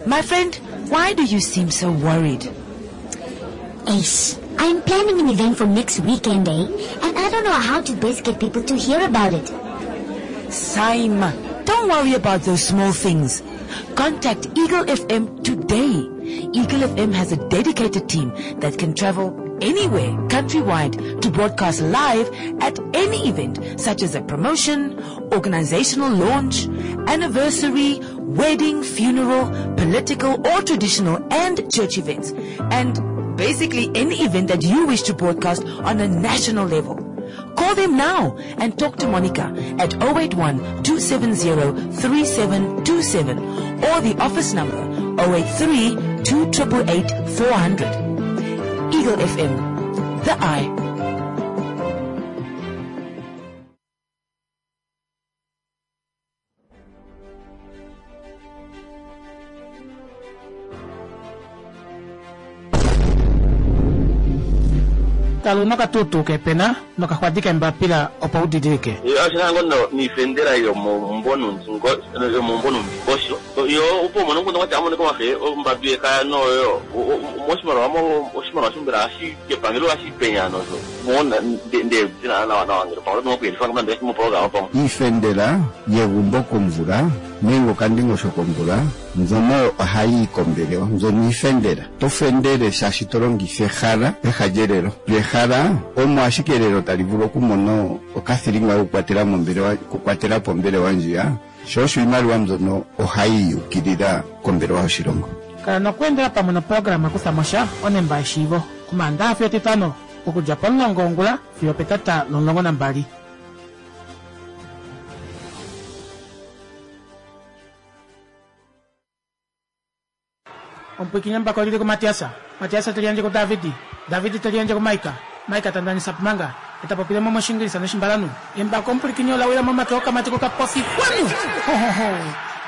My friend, why do you seem so worried? Ace, I'm planning an event for next weekend, eh? And I don't know how to best get people to hear about it. Saima, don't worry about those small things. Contact Eagle FM today. Eagle FM has a dedicated team that can travel anywhere countrywide to broadcast live at any event such as a promotion, organizational launch, anniversary, wedding, funeral, political or traditional and church events. And basically any event that you wish to broadcast on a national level. Call them now and talk to Monica at 081 270 3727 or the office number 083 2888 400. Eagle FM, the eye. Kala una okatuutuu kepena nokaxwadi kembapila opo u didilike. Oshina ngo niifendela yomomumvo nuundingosho yo opo umone omukundu kwati amone komafe ombadu yekaya noyo moshimaliwa oshimaliwa shombela hashi kepangelo hashi penya nosho mona nde dina nawa nawa ngele pamwe oto kuyelifa nande moprograma pamwe. Iifendela yegumbo komvula nenge okandingosho komvula mbyono ohayi yi kombelewa mbyono iifendela. To fendele shaashi to longitha ehala peha lyelelo. Lyo ehala omo ashike elelo tali vulu okumona okathilinga kokukwatela mombelewa okukwatela po ombelewa ndjiya, sho osho iimaliwa mbyono ohayi yukilila kombelewa yoshilongo. Kala nokweendela pamwe noprograma Kutha mo sha onemba yeshiivo Omaandaxa fiyo Etitano okudja pomulongo wongula fiyo opetata lomulongo nambali. Omupwiikini embako oli li kuMatias, Matias te liyandje kuDavid, David te liyandje kuMaika, Maika ta ndanisa Pumanga, e ta popile mo mOshiingilisa nOshimbalanhu. Embako omupwilikini ola wila momake okamati kokapofi. Kwanu! Ho, ho, ho!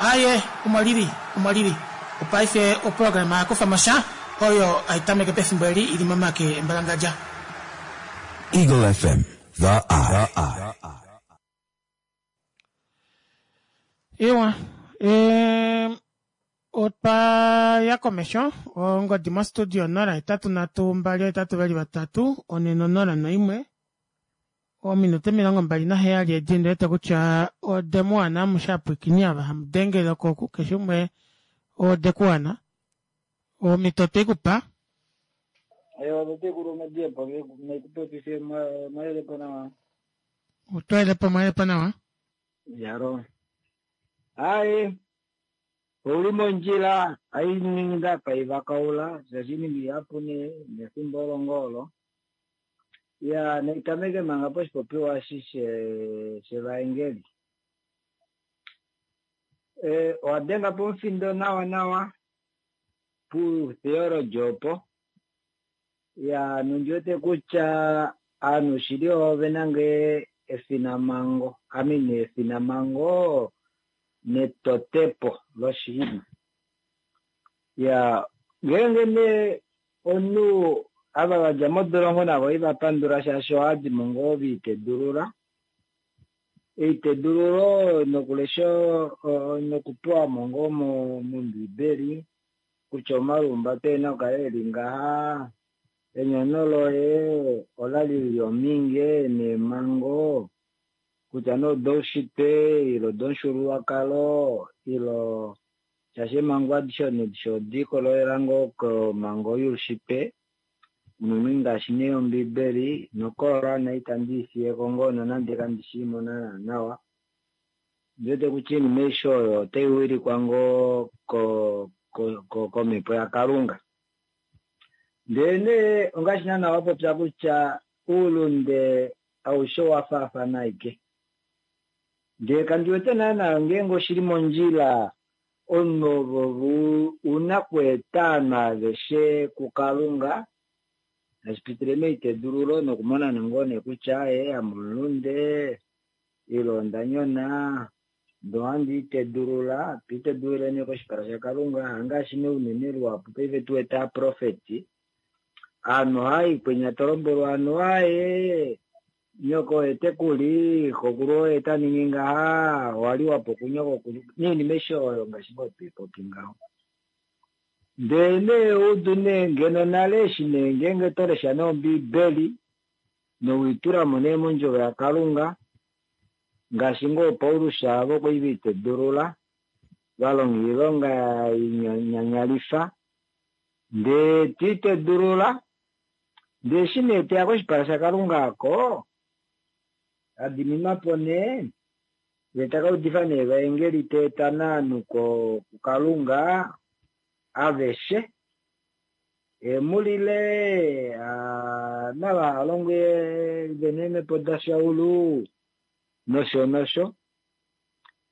Aaye, omo li li, omo li li. Opaife oprograma ya kufa mo sha, oyo hai tameke pefimbo eli i li momake embalangadja. Eagle FM, The Eye. Ewa, otwa ya komesho ongodi mostudio 083 283 401 ominute 27 edi ndi wete kutya ode mu wana amushe apwikini ava hamu dengele oko keshe umwe ode ku wana omhito otwe ku pa. Ewa tatekulu Madiebo nekupopife mwalelepo nawa. Otwalelepo mwalelepo nawa. Yaro. Aye, ouli mondjila ainingi ndapa ivakaula shaashi iinima ihapu nee nefimbo olo ngoo olo. Ya naitameke manga poshipopiwa eshi shevaengeli. E, owa denga pomufindo nawa nawa putheology opo. Ya nondi wete kutya aanhu shili ove na ngee efinamhango, I mean efinamhango netotepo loshinima. Ya ngeenge nee omunhu ava va dja modolongo navo iva pandula shaashi ohava dimo ngoo ve itedulula, eitedululo nokulesha nokupewa mo ngoo mombiibeli kutya omalihumbato oe na okukala e li ngaha, enyono loye ola li li omhinge neemhango, kutya nee odoushitwe ile odomufyuululwakalo ile shaashi eemhango adishe adishe ode likolelela ngoo komhango youshitwe, unene ngaashi nee Ombiibeli noKoran itandi i fiye ko ngoo nonande kandi shii mo naana nawa. Ondi wete kutya oinima aishe oyo otai wilikwa ngoo komhepo yaKalunga. Ndelenee ongaashi naana wa popya kutya oulunde aushe owa faafana ashike. Ndele kandi wete naana ngeenge oshi li mondjila omunhu ove u na okweeta ovanhu aveshe kuKalunga tashi pitile meitedululo nokumona ngoo nee kutya ee ame omulunde ile onda nyona ndee ohandi itedulula, to itedululile nee koshipala shaKalunga, hangaashi nee unene luhapu paife tu wete aaprofeti, aanhu ohava i kwenya to lombwelwa anuwa ee. Nyoko oye te ku li, xokulu oye ta ningi ngaha, owa liwa po kunyokokulu, noinima aishe oyo ngaashi ngoo twei popi ngaho. Ndele nee udu nee ngeno nale eshi nee ngeenge to lesha nee Ombiibeli nowiitula mo nee mondjovo yaKalunga, ngaashi ngoo Paulus avo kwali ve itedulula, va longa oilonga inyanyalifa, ndee to itedulula, Ndee eshi nee te ya koshipala shaKalunga oko, a diminwa po nee, ye ta ka udifa nee evaengeli ta eta naanhu kuKalunga aveshe, e mu lile, nava ha longwe ve na eemhepo daShaulu, nosho nosho.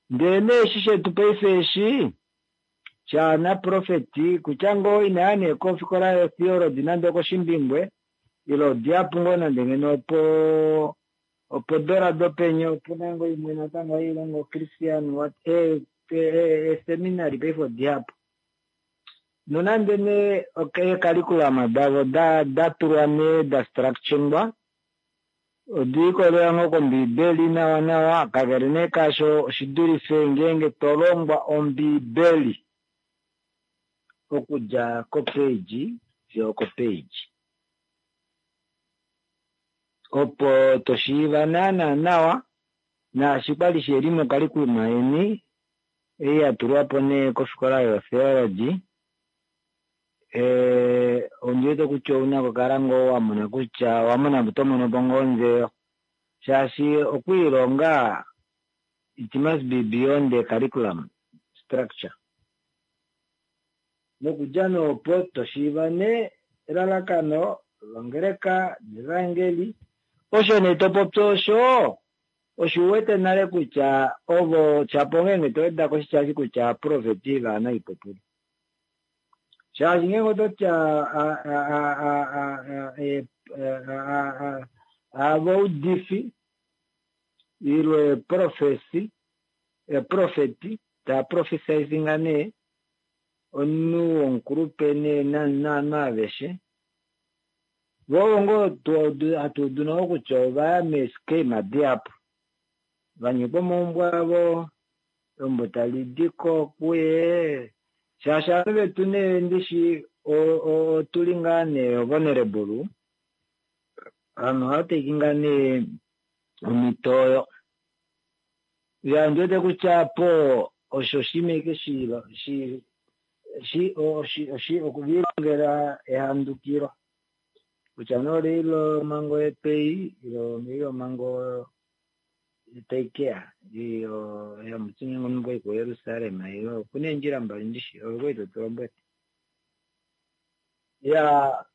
Ndee nee eshi shetu paife eshi, shaanaprofeti, kutya ngoo ina ya nee kofikola yotheology nande okOshimbingwe, ile odihapu ngoo nande ngeno opo opodola dopenya opu na ngoo imwe natango hai longo Christian what eeseminary paife odihapu. Nonande nee eecurriculum davo da da tulwa nee da structuringwa, Ode likolelela ngoo kOmbiibeli nawanawa, kakele nee kaasho oshi dulife ngeenge to longwa Ombiibeli okudja ko-page fiyo oko-page, opo to shiiva naanaa nawa naashi kwa li she li mokalikuluma yeni ei ya tulwa po nee kofikola yoTheology. Ondi wete kutya ou na okukala ngoo wa mona kutya owa mona oto mono po ngoo ondjeyo shaashi okwiilonga it must be beyond the curriculum structure. Nokudja nee opo to shiiva nee elalakano longeleka nevaengeli. Osho nee to popi osho oshi wete nale kutya ovo shapo ngeenge to weda ko oshitya eshi kutya aaprofeti vaanaipupulu. Shaashi ngeenge oto ti avaudifi ile eeprofesi, eeprofeti taa prophesizing nee omunhu womukulupe nee naanhu aveshe, vo ovo ngoo hatu udu navo kutya ova ya meeschema dihapu, va nyekwa omaumbo avo, eumbo tali di ko kuye shaashi ovanhu vetu nee ndishi otu li ngaa nee vulnerable, ovanhu ohava take ngaa nee omhito oyo. Ya ondi wete kutya apo osho oshinima ashike shi shi shi okuvilongela ehandukilo kutya nee olei lomhango yepei ile olei lomhango tai ke ya yomuti ngeenge omunhu okwa i kuJerusalem ile oku na eendjila mbali ndishi ove kwali to tu lombwele. Ya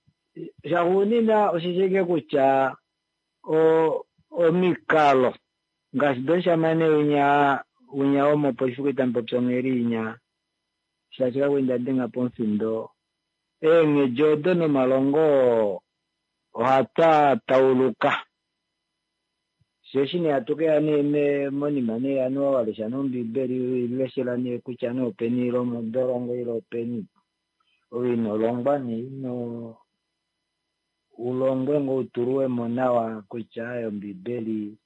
shaxuunina osheshi ashike kutya omikalo ngaashi domushamane winya winya womopolifi kwali tamu popi ongheli inya shaashi kakwali nda denga po omufindo eenghedi odo nomalongo oo ohatwa tauluka. Fye eshi nee hatu ke ya nee monima nee anuwa wa lesha nee Ombibeli, we i leshela nee kutya nee openi ile omodolongo ile openi, ove ino longwa nee ino u longwe ngoo u tulwe mo nawa kutya aaye Ombibeli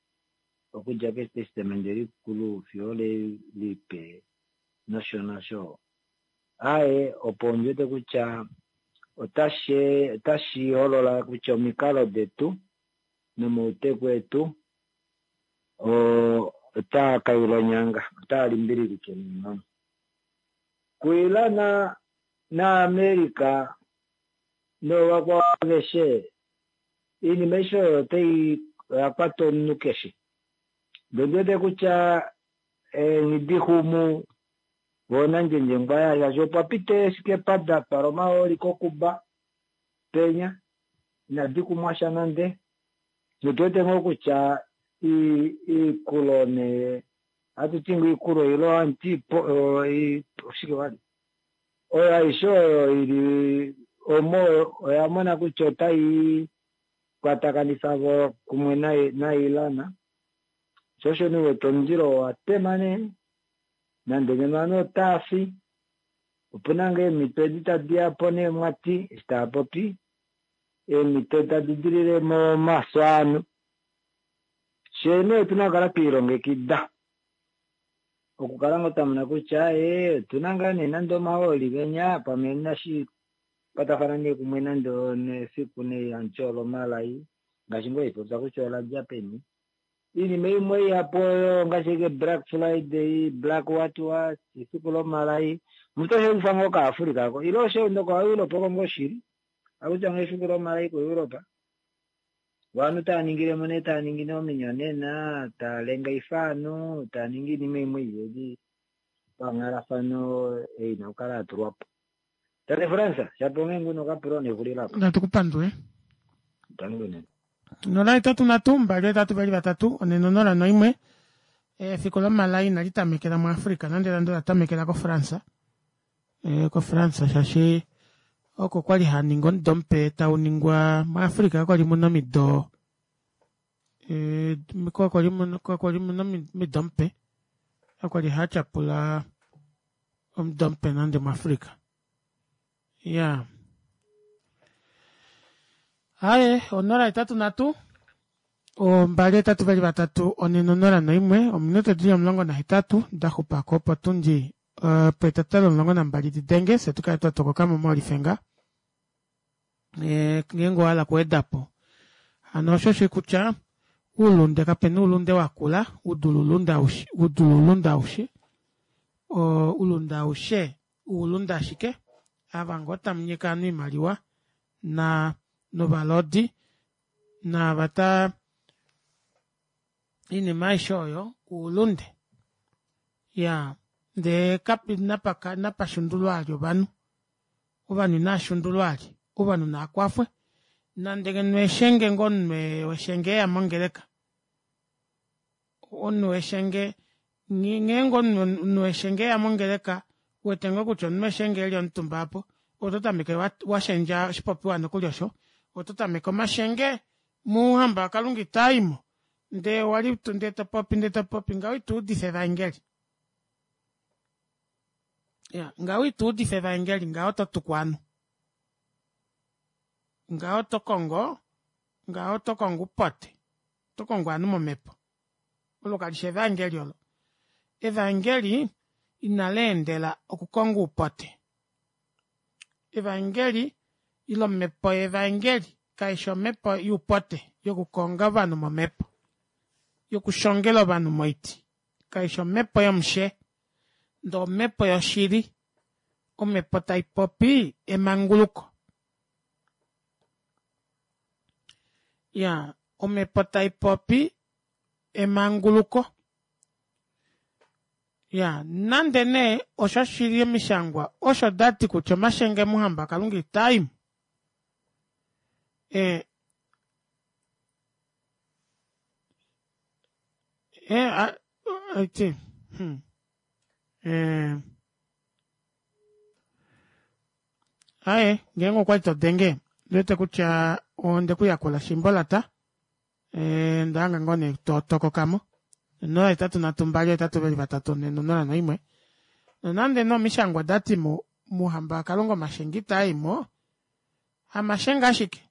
okudja kEtestamende Likulu fiyo ole Lipe nosho nosho. Aaye, opo ondi wete kutya otashi otashi holola kutya omikalo detu nomauteku etu otaa ka yula onyanga, otaa limbililike neenghono. KuIran naAmerica noovakwao aveshe, oinima aishe oyo otai oya kwata omunhu keshe. Ndee ondi wete kutya eenghidixumu voo nandjendjengwa shaashi opwa pita eesikepa da twala omahooli koKuba penya inadi kumwa sha nande. Notu wete ngoo kutya iikulo nee ohatu ti ngoo iikulo ile ohamuti oshike vali oyo aishe oyo ili omo oya mona kutya otai kwatakanifa vo kumwe naIran sho osho nee wete omundilo owa tema nee nande ngeno ovanhu otava fi opu na ngoo eemhito edi tadi ya po nee mwati eshi tava popi eemhito tadi dilile momafyo ovanhu. Fyee nee otuna okukala twiilongekida okukala ngoo twamona kutya ee otuna ngaa nee nande omahooli genya pamwe nashi kwatafana nee kumwe nande nefiku nee hamuti olomalai ngaashi ngoo haipopya kutya ola dja peni. Iinima imwe ihapu oyo ngaashi ashike Black Friday, Black what what, efiku lomalai omuntu ohe lifa ngoo kaAfrica ko ile osho nokoEurope oko ngoo shili akutya ngoo efiku lomalai koEurope. Ovanhu tava ningile mo nee tava ningi nee ominyonena, tava lengaifa ovanhu, tava ningi oinima imwe ihe li panghalafano ei ina okukala ya tulwa po. Tate Frans, shapo onghee ngoo nokapula nexulilo apa. Natu ku pandule. Tangi unene. 083 2 8 2 4 0 1 Efiku lomalai inali tamekela muAfrica nande nande ola tamekela koFrance. Eh, koFrance shaashi oko kwali haa ningi omudo mupe tau ningwa muAfrica kwali muna omido eh, kwali muna kwali muna omido mupe kwali haa tyapula omudo mupe nande muAfrica ya haye 083 2 8 2 4 0 1 ominute dili 18 da xupako opo tundi Eh, poetata lomulongo nambali di denge fye tu kale twa tokoka mo molifenga eh, ngeenge owa hala okuweda po hano osho shi kutya uulunde kape na uulunde wa kula u dule uulunde aushe u dule uulunde aushe uulunde aushe uulunde ashike ava ngoo tamu nyeka ovanhu oimaliwa na novalodi naava ta Iinima aishe oyo uulunde. Ya, ndee kapi napa napa shundulwa ali ovanhu. Ovanhu inaa shundulwa ali. Ovanhu naa kwafwe. Nande ngeno eshenge ngoo omunhu weshenge eya mongeleka. Omunhu weshenge ngeenge omunhu weshenge eya mongeleka wete ngoo kutya omunhu weshenge eli omutumba apo oto tameke washendja oshipopiwa nokuli osho oto tameke omashenge mouhamba waKalunga itaa i mo Ndee owa li tu ndee to popi ndee to popi ngaho ito udifa evaengeli. Ya, ngaho ito udifa evaengeli ngaho oto tuku ovanhu. Ngaho oto kongo ngaho oto kongo upote. Oto kongo ovanhu momhepo. Olo kali shi evaengeli olo. Evaengeli inali endela okukonga uupote. Evaengeli ile omhepo yevaengeli kai shi omhepo youpote yokukonga ovanhu momhepo, yokushongela ovanhu moiti. Kai shi omhepo yomushe, ndee omhepo yoshili, omhepo tai popi emanguluko. Ya, omhepo tai popi emanguluko. Ya, nande nee osho shili omishangwa osho da ti kutya omashenge muhamba Kalunga itaa i mo. E, e, a, a, hmm. E, aye, ngeenge okwa li to denge, wete kutya onde ku yakula shimbolata. Eh, onda hanga ngoo nee to tokoka mo. 0 8 3 2 8 2 3 4 0 1. Nonande nee omishangwa da ti mu mouhamba waKalunga omashenge itaa i mo, hamashenge ashike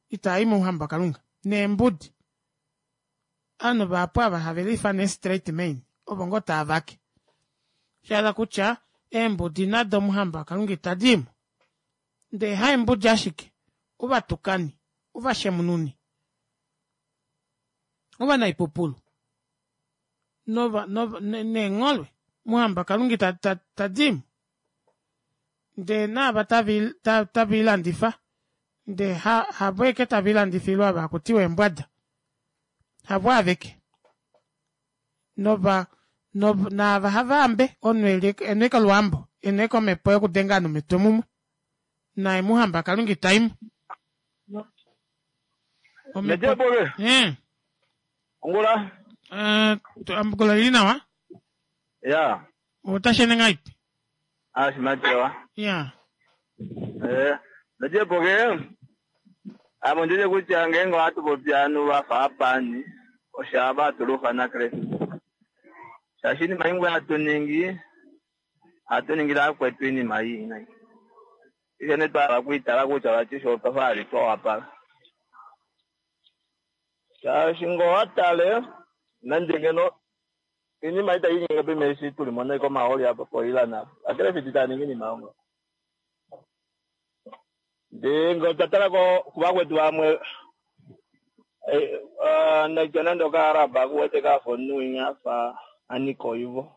itaa i mouhamba waKalunga, neembudi. Ovanhu vahapu ava have liifana eestraight main ovo ngoo tava vake. Sha hala kutya eembudi nado mouhamba waKalunga itadi i mo. Ndee haembudi ashike, ovatukani, ovashemununi, ovanaipupulu nova, nova, neengholwe muhamba Kalunga ita, ta, ta di mo. Ndee naava tave, ta, tave i landifa, ndee ha, havo eke tave i landifilwa ava hakutiwa eembwada. Havo aveke. Nova, nov, naava hava ambe, omunhu eli e na olwaambo, e na omhepo yokudenga ovanhu omitwe mumwe. Naye muhamba Kalunga ita i mo. Omhepo eh. Ongula. Eh, ongula ili nawa. Ya. Otashene ngaipi? Ah, shimatewa. Ya. Eh, Najepoke. Amo ndije kutya ngeenge ohatu popi ovanhu va fa apani osha va tulufa naKristus. Shaashi iinima imwe hatu ningi ohatu ningile vakwetu iinima ii nai. Ihe nee twa hala okwiitala kutya vati fye otwa fa hali twa wapala. Shaashi ngoo watale nande ngeno inima ita inyenge pime eshi tuli mo naiko mahooli apa po Iran apa. Akelefiti taa ningi inima yongo. Ndee ngee otwa tala ko kuvakwetu vamwe naitya nande okaArab akuwete kafa omunhu winya afa anika oivo.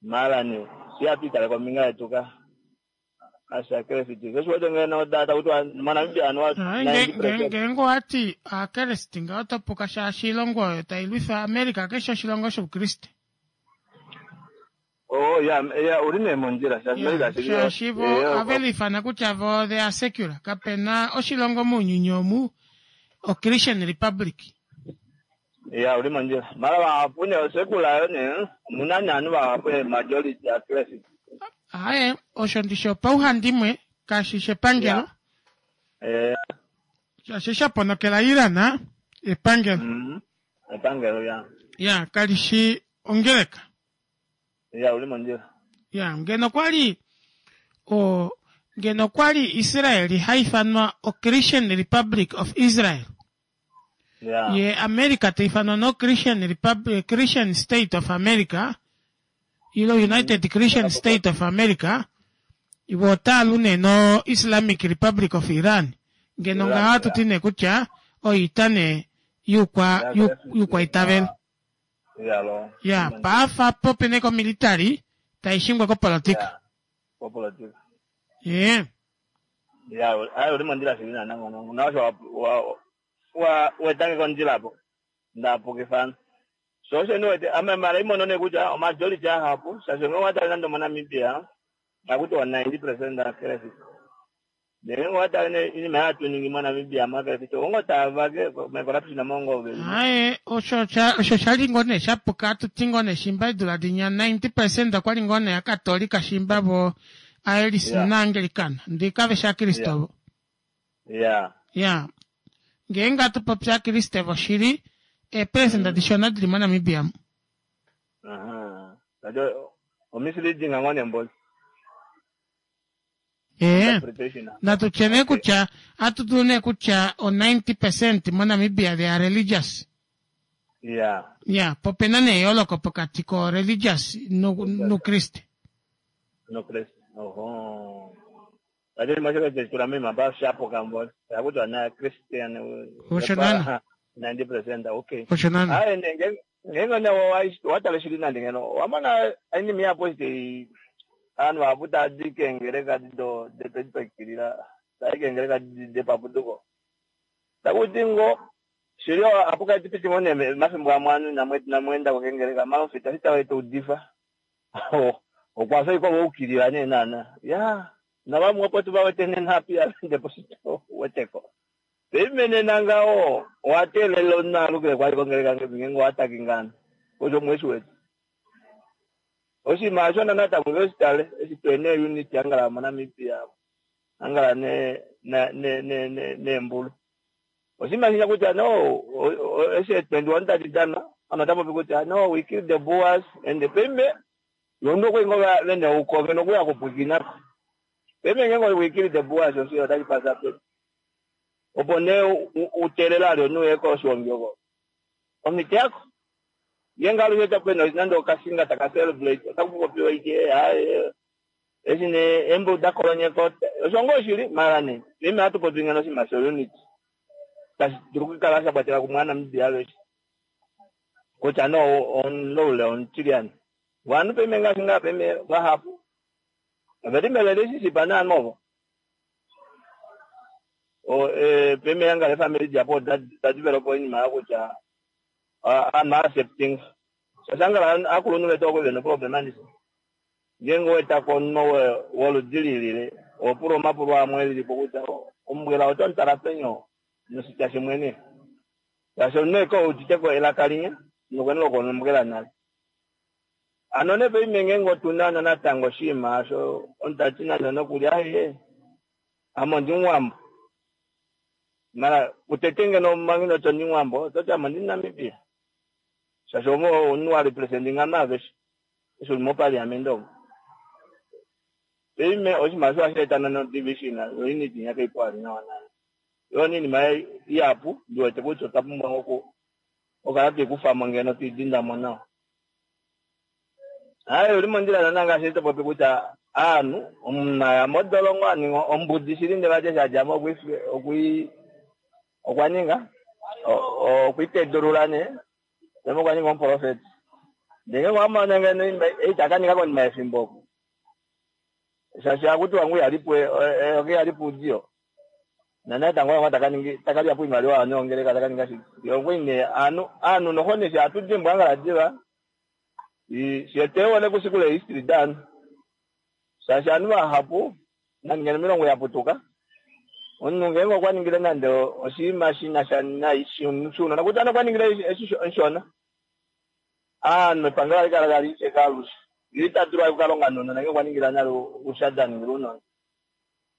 Mara nee shi hatu itale kombinga yetu ka ashakelefiti oshiwete ngeno takutiwa moNamibia anuwa 90% Ngeenge owati aakelesiti ngaho oto puka shaashi oilongo oyo tai lwifa America keshe oshilongo shoukriste. Oh ya ya uli nee mondjila shaashi America shili Shaashi vo ohave liifana kutya vo they are secular. Kapena oshilongo mounyuni omu o Christian Republic. Ya uli mondjila. Mara vahapu nee osekula yo nee omuna nee ovanhu vahapu e majority akelefiti. Aaye, osho ndishi opauhandimwe kashi shi epangelo. Shaashi sha ponokela Iran epangelo. Epangelo ya. Ya kali shi ongeleka. Ya uli mondjila. Ya ngeno kwali o ngeno kwali Israel ha ifanwa o Christian Republic of Israel. Ya. Ye America ta ifanwa no Christian Republic Christian State of America. Ilo United Christian State of America. Ivo otaa lu nee no Islamic Republic of Iran. Ngeno ngaho ohatu ti nee kutya oita nee yuukwa yuukwaitavelo. Ya paafa po pene komilitary tai shingwa kopolotika. Kopolotika. Ye. Ya, ayo uli mondjila shili naana ngono. Na osho wa wa wetange kondjila po. Ndapukifana. So osho niwete ame mara imono ne kutya omajority ahapu shaashi ngenge owatale nande omoNamibia akutiwa 90% akelefiti. Ndele ngenge owatale ne inima hatu ningi moNamibia makelefiti ongo tava ke mecorruption mongo veli. Aye, osho sha osho shali ngoo nee shapuka atuti ngoo nee shimba eedula dinya 90% okwali ngoo nee akatolika shimba vo aelis na Anglicana ndee kave shi akriste ovo. Ya ngeenge atu popi akriste voshili eeperesenda dishona dili moNamibia mu. Omisleading ngoo nee mboli. Ee, natu tye nee kutya atu dulu nee kutya o 90% moNamibia they are religious. Ya, po pena nee eyooloko pokati ko religious nukriste. Nukriste. Oho. Vati moshilongo chetu tula moima pa shapuka mboli. Takutiwa na Christian. Osho naana. 90% okay. Osho naana. Aye nee ngeenge nee owatale shili nande ngeno owamona oinima ihapu eshi tai ovanhu vahapu tava di keengeleka do depedipakilila tava i keengeleka depapuduko. Takuti ngo shili ohapu kala tipiti ngo nee mafimbo amwe ovanhu inamweenda keengeleka mara omufita eshi ta udifa okwa fa ashike waukilila nee naana. Ya navamwe opo tuvawete nena api avende poshito weteko. Paife nena ngaho owateelela omunhu alukile kwali kongeleka ngeenge owataki ngano osho mweshi wetu. Oshinima osho natango oshitale eshi twene unit angala moNamibia angala neembulu. Oshinima shinya kutya no eshi 21 tadi dana ano tapopi kutya no we kill the Boers and the pembe yondo kwingo vene ukove nokuya kupwikinako. Pembe ngeenge we kill the Boers osho otashi pasa pe. Opo nee uteelela ali omunhu uye koshiongi oko. Omiti yako. Ngeenge alushe tapena nande okasinga taka celebrate otaku popiwa ike aye eshi nee eembulu dakolonyeka osho ngoo shili mara nee paife ohatu popi ngeno oshinima sho unity tashi dulu okukala sha kwatela kumwe aaNamibia aveshe kutya nee omulaule omutilyane ovanhu paife ngaashi ngaa paife vahapu oveli merelationship naanhu ovo paife angala efamili dihapu oda develop oinima yokutya ovanhu accepting shaashi angala akulunhu vetu okwali vena problem andishe ngeenge owetako omunhu woludi lilile ohopula omapulo amwe lilipo kutya ombwela oto mutala peni noshitya shimwe shaashi omunhu eke uditeko elaka linya nokwene lokombwela nale. Ano nee paife ngeenge otuna natango oshinima osho omunhu tati nande nokuli aye ame ondimuwambo mara kutete ngeno manga inoti ondimuwambo ototi ame ondimuNamibia shaashi omunhu wa representinga ovanhu aveshe eshi uli mopaliamente omo. Paife oshinima osho ohashi eta no division yo unity nya kaipo vali nawa naana. Oyo nee iinima ihapu ndi wete kutya otwa pumbwa oku okukala twei kufamo ngeno twei dindamo nawa. Aaye uli mondjila naana ngaashi to popi kutya aanhu omunhu aya modolongo aninga ombudi shili ndele vati eshi adjamo okwii okwa ninga okwiitedulula nee ndele okwa ninga omuprofeti. Ndele ngenge owa mona ngeno ei taka ninga konima yefimbo oku shaashi hakutiwa ngu ihalipo eyoka ihalipo oudiyo nanatango ngo taka lyapo iimaliwa yovanhu yongeleka taka ninga shike. Okwali nee aanhu noho nee shi hatu dimbwa ngala diva fye tweewole kushikula ehistory daanhu shaashi ovanhu vahapu nande ngeno milongo yaputuka omunhu ngeenge okwa ningile nande oshinima shinasha nai shuunona kutya nee okwa ningile eshi omushona aanhu epangelo ohali kala tali sheke alushe ye ita dulu okukalonga nounona ngeenge okwa ningila nale oushada aningila ounona.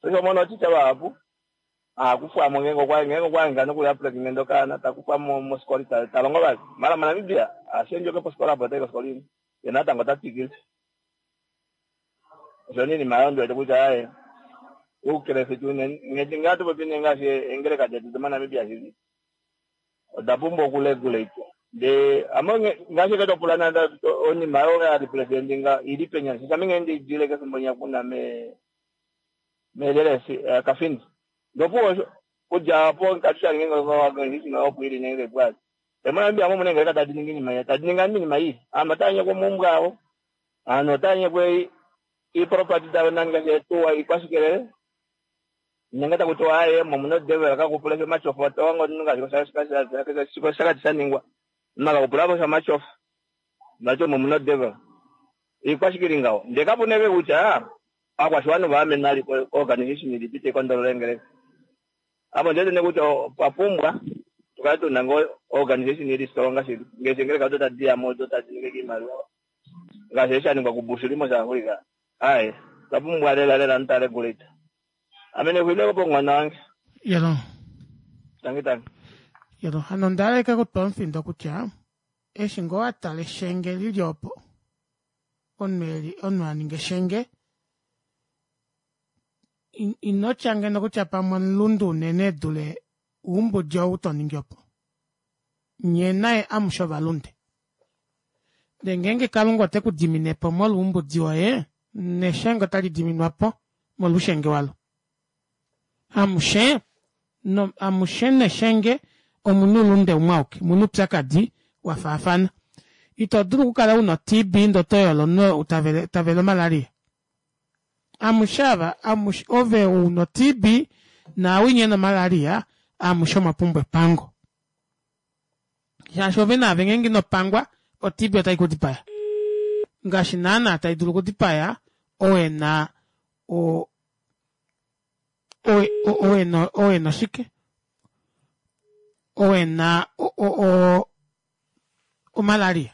Osho omona otitya vahapu akufwamo ngeenge okwa hangika nokuli apregnant okaana takufwamo mofikola italongo vali. Mara moNamibia ashendjoke pofikola apo otai kofikola imwe ye natango ota twikile. Osho nee iinima oyo ndiwete kutya aaye oukrefiti unene nghedi ngaa hatu popi nee ngaashi eengeleka detu domoNamibia shili oda pumbwa okuregulate. Ndee ame ngaashi eke topula nande onima oyo ya representinga ili penya shaashi ame nghee ndiidile kefimbo linya kuna meelele Kafindi. Ndopuwo kudja opo katushali ngeenge organization opo ili nenge pwali. MoNamibia mo muna eengeleka tadi ningi iinima tadi ningi iinima ii. Aanhu otava nyekwa omaumbo avo, aanhu otava nyekwa iiproperty davo nangaashi eetuwa iikwashikelele. Nenge taku tiwa aaye omuna odevil kakupula omatyofa otohongo omunhu ngaashi koshakati sha ningwa. Omunhu akakupula po omatyofa vati omo muna odevil. Iikwashikili ngaho. Ndee kapuna eke kutya aakwashiwana ova amenwa ali ko-organization ilipi tai kondolola eengeleka. Apo ndiwete nee kutya opwa pumbwa tukale tuna ngoo organization ili strong shili. Ngaashi eengeleka odo tadi yamo odo tadi ningi iimaliwa ngaashi eshi sha ningwa kuBushiri moSouth Africa. Aaye otwa pumbwa lela lela omuntu ta regulate. Ame nexulilo pomunghono wange. Yelo. Tangi tangi. Yelo, hano onda hala kutwa omufindo kutya eshi ngoo watala eshenge lili opo omunhu aninga eshenge inotya ngeno kutya pamwe omulundu unene dule oumbudi ou to ningi opo. Nye naye amushe ovalunde. Ndee ngeenge Kalunga ote ku dimine po molwa oumbudi woye, neshenge otali diminwa po molwa oushenge walo. Amushe no amushe neshenge omuna oulunde umwe auke, omuna oupyakadi wa faafana. Ito dulu okukala una o-TB ndee oto yolo omunhu tavele omalaria. Amushe ava, amushe ove una o-TB naawinya ena omalaria, amushe omwa pumbwa epango. Shaashi ove naave ngeenge ino pangwa, o-TB otai ku dipaya. Ngaashi naana tai dulu okudipaya ou ena ou ena oshike? Ou ena omalaria.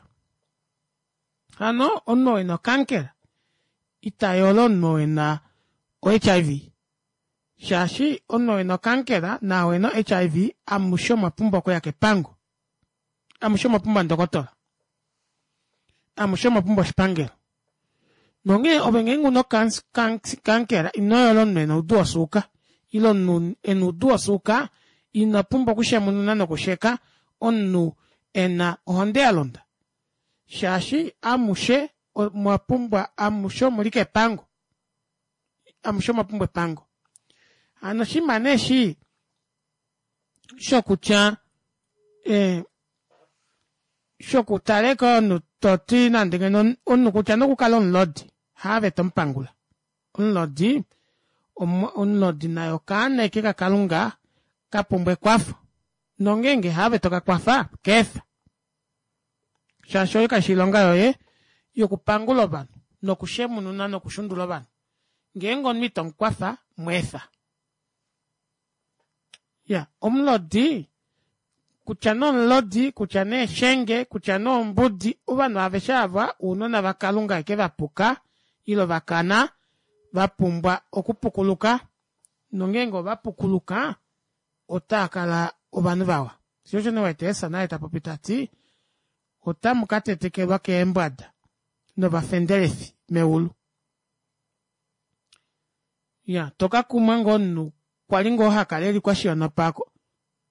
Hano omunhu ou ena okankera ita yolo omunhu ou ena o-HIV. Shaashi omunhu ou ena okankera naau ena o-HIV amushe omwa pumbwa okuya kepango. Amushe omwa pumbwa ndokotola. Amushe omwa pumbwa oshipangelo. Nonghee ove ngeenge una okankera ino yola omunhu ena oudu wosuuka. Ile omunhu ena oudu wosuuka ino pumbwa okushemununa nokusheka omunhu ena ohonde ya londa. Shaashi amushe omwa pumbwa amushe omuli kepango. Amushe omwa pumbwa epango. Hano oshinima nee eshi shokutya shokutaleka omunhu toti nande ngeno omunhu kutya nokukala omulodi haave tomupangula. Omulodi omulodi naye okaana eke kaKalunga ka pumbwa ekwafo. Nongeenge haave toka kwafa keefa. Shaashi oyo kaishi oilonga yoye yokupangula ovanhu nokushemununa nokushundula ovanhu. Ngeenge omunhu ito mukwafa mweefa. Ya, omulodi kutya nee omulodi kutya nee eshenge kutya nee ombudi ovanhu aveshe ava ounona vaKalunga eke vapuka ile vakana va pumbwa okupukuluka nongeenge ova pukuluka otaa kala ovanhu vawa. Sho osho nee wete Jesus naye ta popi tati otamu ka tetekelwa keembwada novafendelifi meulu. Ya, to ka kumwa ngoo omunhu Okwa li ngoo ha kala e li kwashiyonopa ako.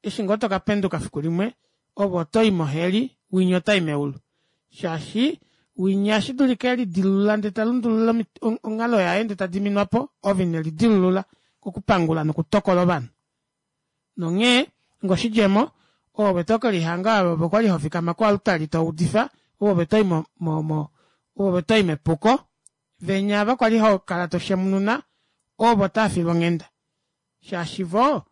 Eshi ngoo to ka penduka fiku limwe, ove oto i moheli, winya ota i meulu. Shaashi winya ohashi dulika e lidilulula ndele ta lundulula onghalo yaye ndele ta diminwa po, ove ine lidilulula kokupangula nokutokola ovanhu. Nonghee, ngoshidjemo, oove to ke lihanga ove kwa li ho fikama koaltari to udifa, oove to i mo, mo, mo, oove to i mepuko. Venya ava kwa li ho kala to shemununa, ovo tava filwa onghenda. Shaashi vo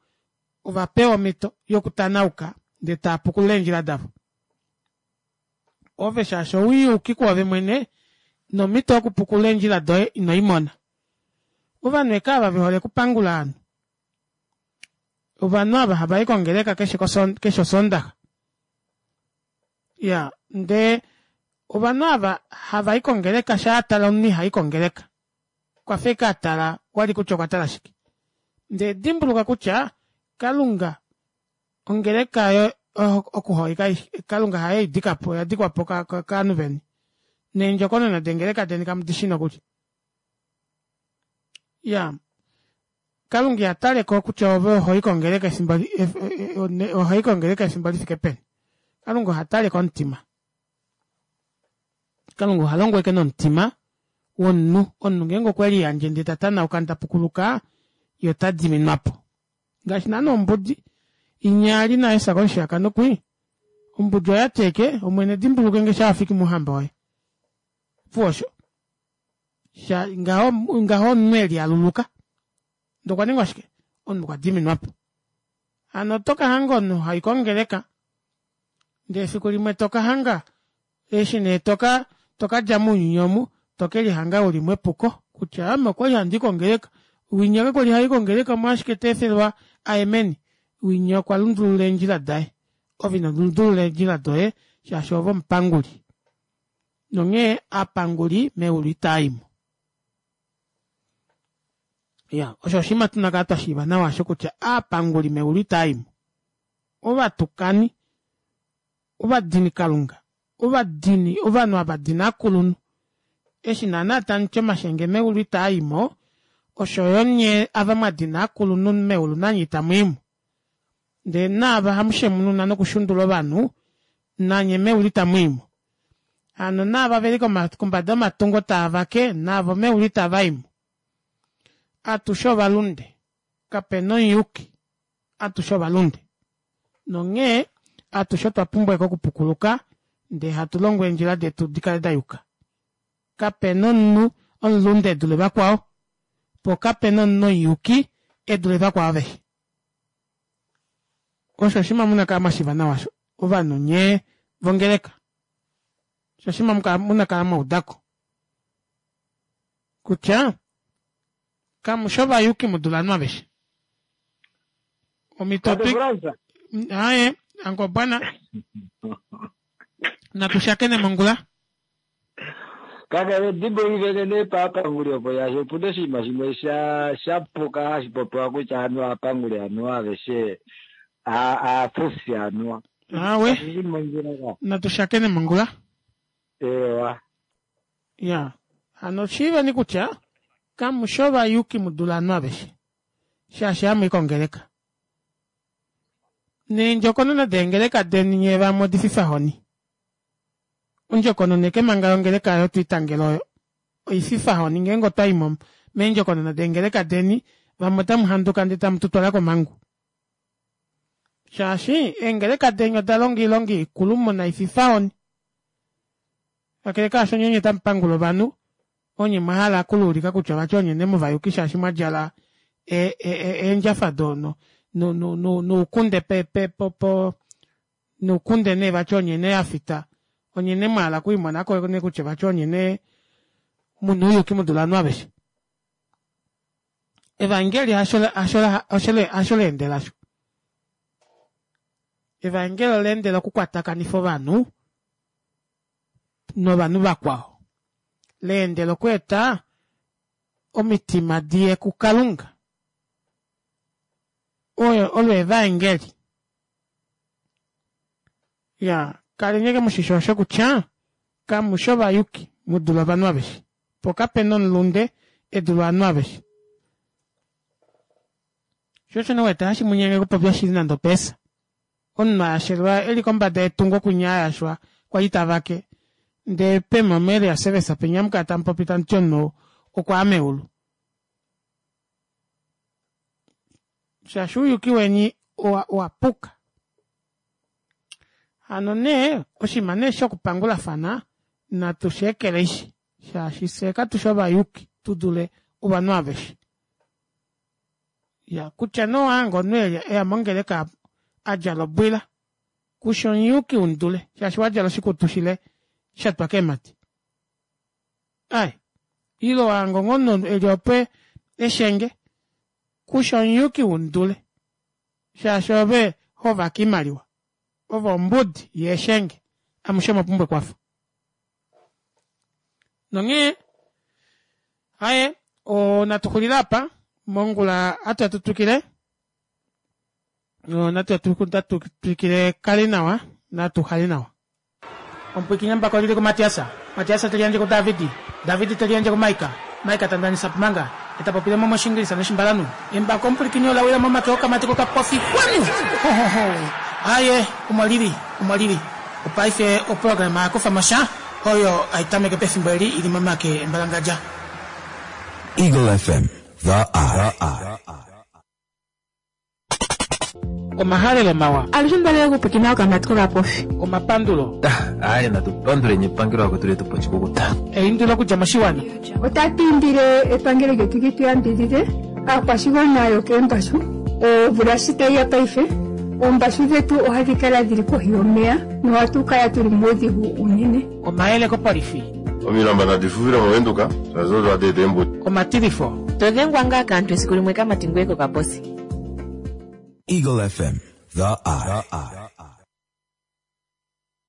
ova pewa omhito yokutanauka ndele tava pukulula eendjila davo. Ove shaashi ouyuki kwoove mwene, nomhito yokupukulula eendjila doye ino i mona. Ovanhu eke ava ve hole okupangula ovanhu. Ovanhu ava hava i kongeleka keshe keshe Osoondaxa. Ya, ndee ovanhu ava hava i kongeleka shaa a tala omunhu iha i kongeleka. Okwa fa eke a tala wali kutya okwa tala shike. Ndee dimbuluka kutya Kalunga ongeleka yo okuhoika Kalunga haye i dika po, oya dikwa po kaanhu veni. Neendjokonona dengeleka deni kamu di shii nokuli. Ya, Kalunga iha tale ko kutya ove oho i kongeleka efimbo oho i kongeleka efimbo li fike peni. Kalunga oha tale komutima. Kalunga oha longo eke nomutima womunhu. Omunhu ngeenge okwe liyandje ndele ta tanauka nda pukuluka, ye ota diminwa po. Ngaashi naana ombudi inya ali naye sa komushiyakano kwii. Ombudi oya ti eke, Omwene dimbuluke nge sha wa fiki mouhamba woye. Opuwo osho. Sha, ngaho, ngaho omunhu e lialuluka. Ndele okwa ningwa shike? Omunhu okwa diminwa po. Hano oto ka hanga omunhu ha i kongeleka, ndele efiku limwe to ka hanga, eshi nee to ka, to ka dja mounyuni omu, to ke lihanga u li mepuko, kutya ame okwa li handi i kongeleka. Winya ka kwali ha i kongeleka omolwashike ta efelwa a ye meni? Winya okwa lundulula eendjila daye. Ove ino lundulula eendjila doye, shaashi ove omupanguli. Nonghee aapanguli meulu itaa i mo. Ya, osho oshinima tu na kala twa shiiva nawa osho kutya aapanguli meulu itaa i mo. Ovatukani, ovadinikalunga, ovadini, ovanhu ava dina aakulunhu. Eshi naana tamu ti omashenge meulu itaa i mo, osho yo nye ava mwa dina aakulunhu meulu nanye itamu i mo. Ndele naava hamu shemununa nokushundula ovanhu, nanye meulu itamu i mo. Hano naava ve li kombada yomatungo taa vake, navo meulu itava i mo. Atushe ovalunde, kape na omuyuki, atushe ovalunde. Nonghee atushe otwa pumbwa eke okupukuluka ndee hatu longo eendjila detu di kale da yuka. Kape na omunhu omulunde e dule vakwao, po kape na omunhu omuyuki e dule vakwao aveshe. Osho oshinima mu na kala mwa shiiva nawa osho, ovanhu nye vongeleka. Osho oshinima mu na kala mwa uda ko kutya kamu shi ovayuki mu dule ovanhu aveshe. Omhito Tate Frans. Aye, ango bwana. Natu shakene mongula. Kakele dimbulukifenge nee paapanguli opo shaashi opuna oshinima shimwe sha sha puka hashi popiwa kutya anuwa aapanguli anuwa aveshe aafufi anuwa. Awe. Kashi shi mondjila ka. Natu shakene mongula. Eewa. Ya. Hano shiiveni kutya kamu shi ovayuki mu dule ovanhu aveshe. Shaashi hamu i kongeleka. Neendjokonona deengeleka deni nyee vamwe odififahoni. Ondjokonona eke manga yongeleka oyo twiitangela oyo oififahoni ngeenge otwa i mo meendjokonona deengeleka deni vamwe otamu handuka ndee tamu tu twala komhangu shaashi eengeleka deni oda longa oilonga ikulu muna ififahoni. Kakele kaasho nye onye tamu pangula ovanhu onye mwa hala okuluulika kutya vati onye nee muvayuki shaashi mwa djala eendjafa do no no noukunde pe pe po po noukunde nee vati onye nee ya fita onye nee mwa hala okwiimona ko nee kutya vati onye nee mu na ouyuki mu dule ovanhu aveshe. Evaengeli hasho hasho hasho hasho la endela osho. Evaengeli ola endela okukwatakanifa ovanhu novanhu vakwao. La endela okweeta omitima di ye kuKalunga. Oyo olo evaengeli. Ya, kaleni eke mushisho osho kutya kamu shi ovayuki mu dule ovanhu aveshe. Po kape na omulunde e dule ovanhu aveshe. Sho osho nee wete hashi mu nyenge okupopya oshili nande opeesa. Omunhu a yashelwa e li kombada yetungo kunya a yashwa kwali ta vake ndee pema mo area service penya amu kala tamu popi tamu ti omunhu ou okwa ya meulu. Shaashi ouyuki weni owa owa puka. Hano nee oshinima nee shokupangulafana natu shi ekeleishi shaashi fyee katu shi ovayuki tu dule ovanhu aveshe. Ya kutya nee owa hanga omunhu eya mongeleka a djala obwila kushi omuyuki umudule shaashi wa djala oshikutu shile sha twa keemhadi. Ai ile wa hanga omunhu eli opo eshenge kushi omuyuki umudule shaashi ove ho vake oimaliwa. Ove ombudi ye eshenge amushe omwa pumbwa ekwafo. Nonghee aye natu xulile apa mongula atu tu twikile natu twikile kali nawa natu hali nawa. Omupwikinya mbako lili kuMatiasa, Matiasa te liyandje kuDavidi, Davidi te liyandje kuMaika, Maika ta ndanisa pumanga, e ta popile mo mOshiingilisa nOshimbalanhu. Embako omupwilikini ola wila momake okamati kokapofi xwanu! Ho, ho, ho! Aaye, omo li li, omo li li. Opaife oprograma ya kufa mo sha, oyo hai tameke pefimbo eli i li momake embalangadja. Eagle FM, The Eye. Omahalelo mawa. Alushe ondalele okupwikina okamati kokapofi. Omapandulo. Aaye natu panduleni epangelo vakwetu letu po oshikukuta. Eindilo okudja moshiwana. Otatu indile epangelo lyetu li tu yambidhidhe aakwashigwana yokeembashu. Omvula shi tayi ya paife, oombashu dhetu ohadhi kala dhili kohi yomeya nohatu kala tuli muudhigu uunene. Omayele kopolifi. Omilamba nadi fufile moVenduka shaashi odo hadi eta eembudi. Omatilifo. To dhengwa ngaa kaantu esiku limwe kamati ngoye kokaposi. Eagle FM, the eye.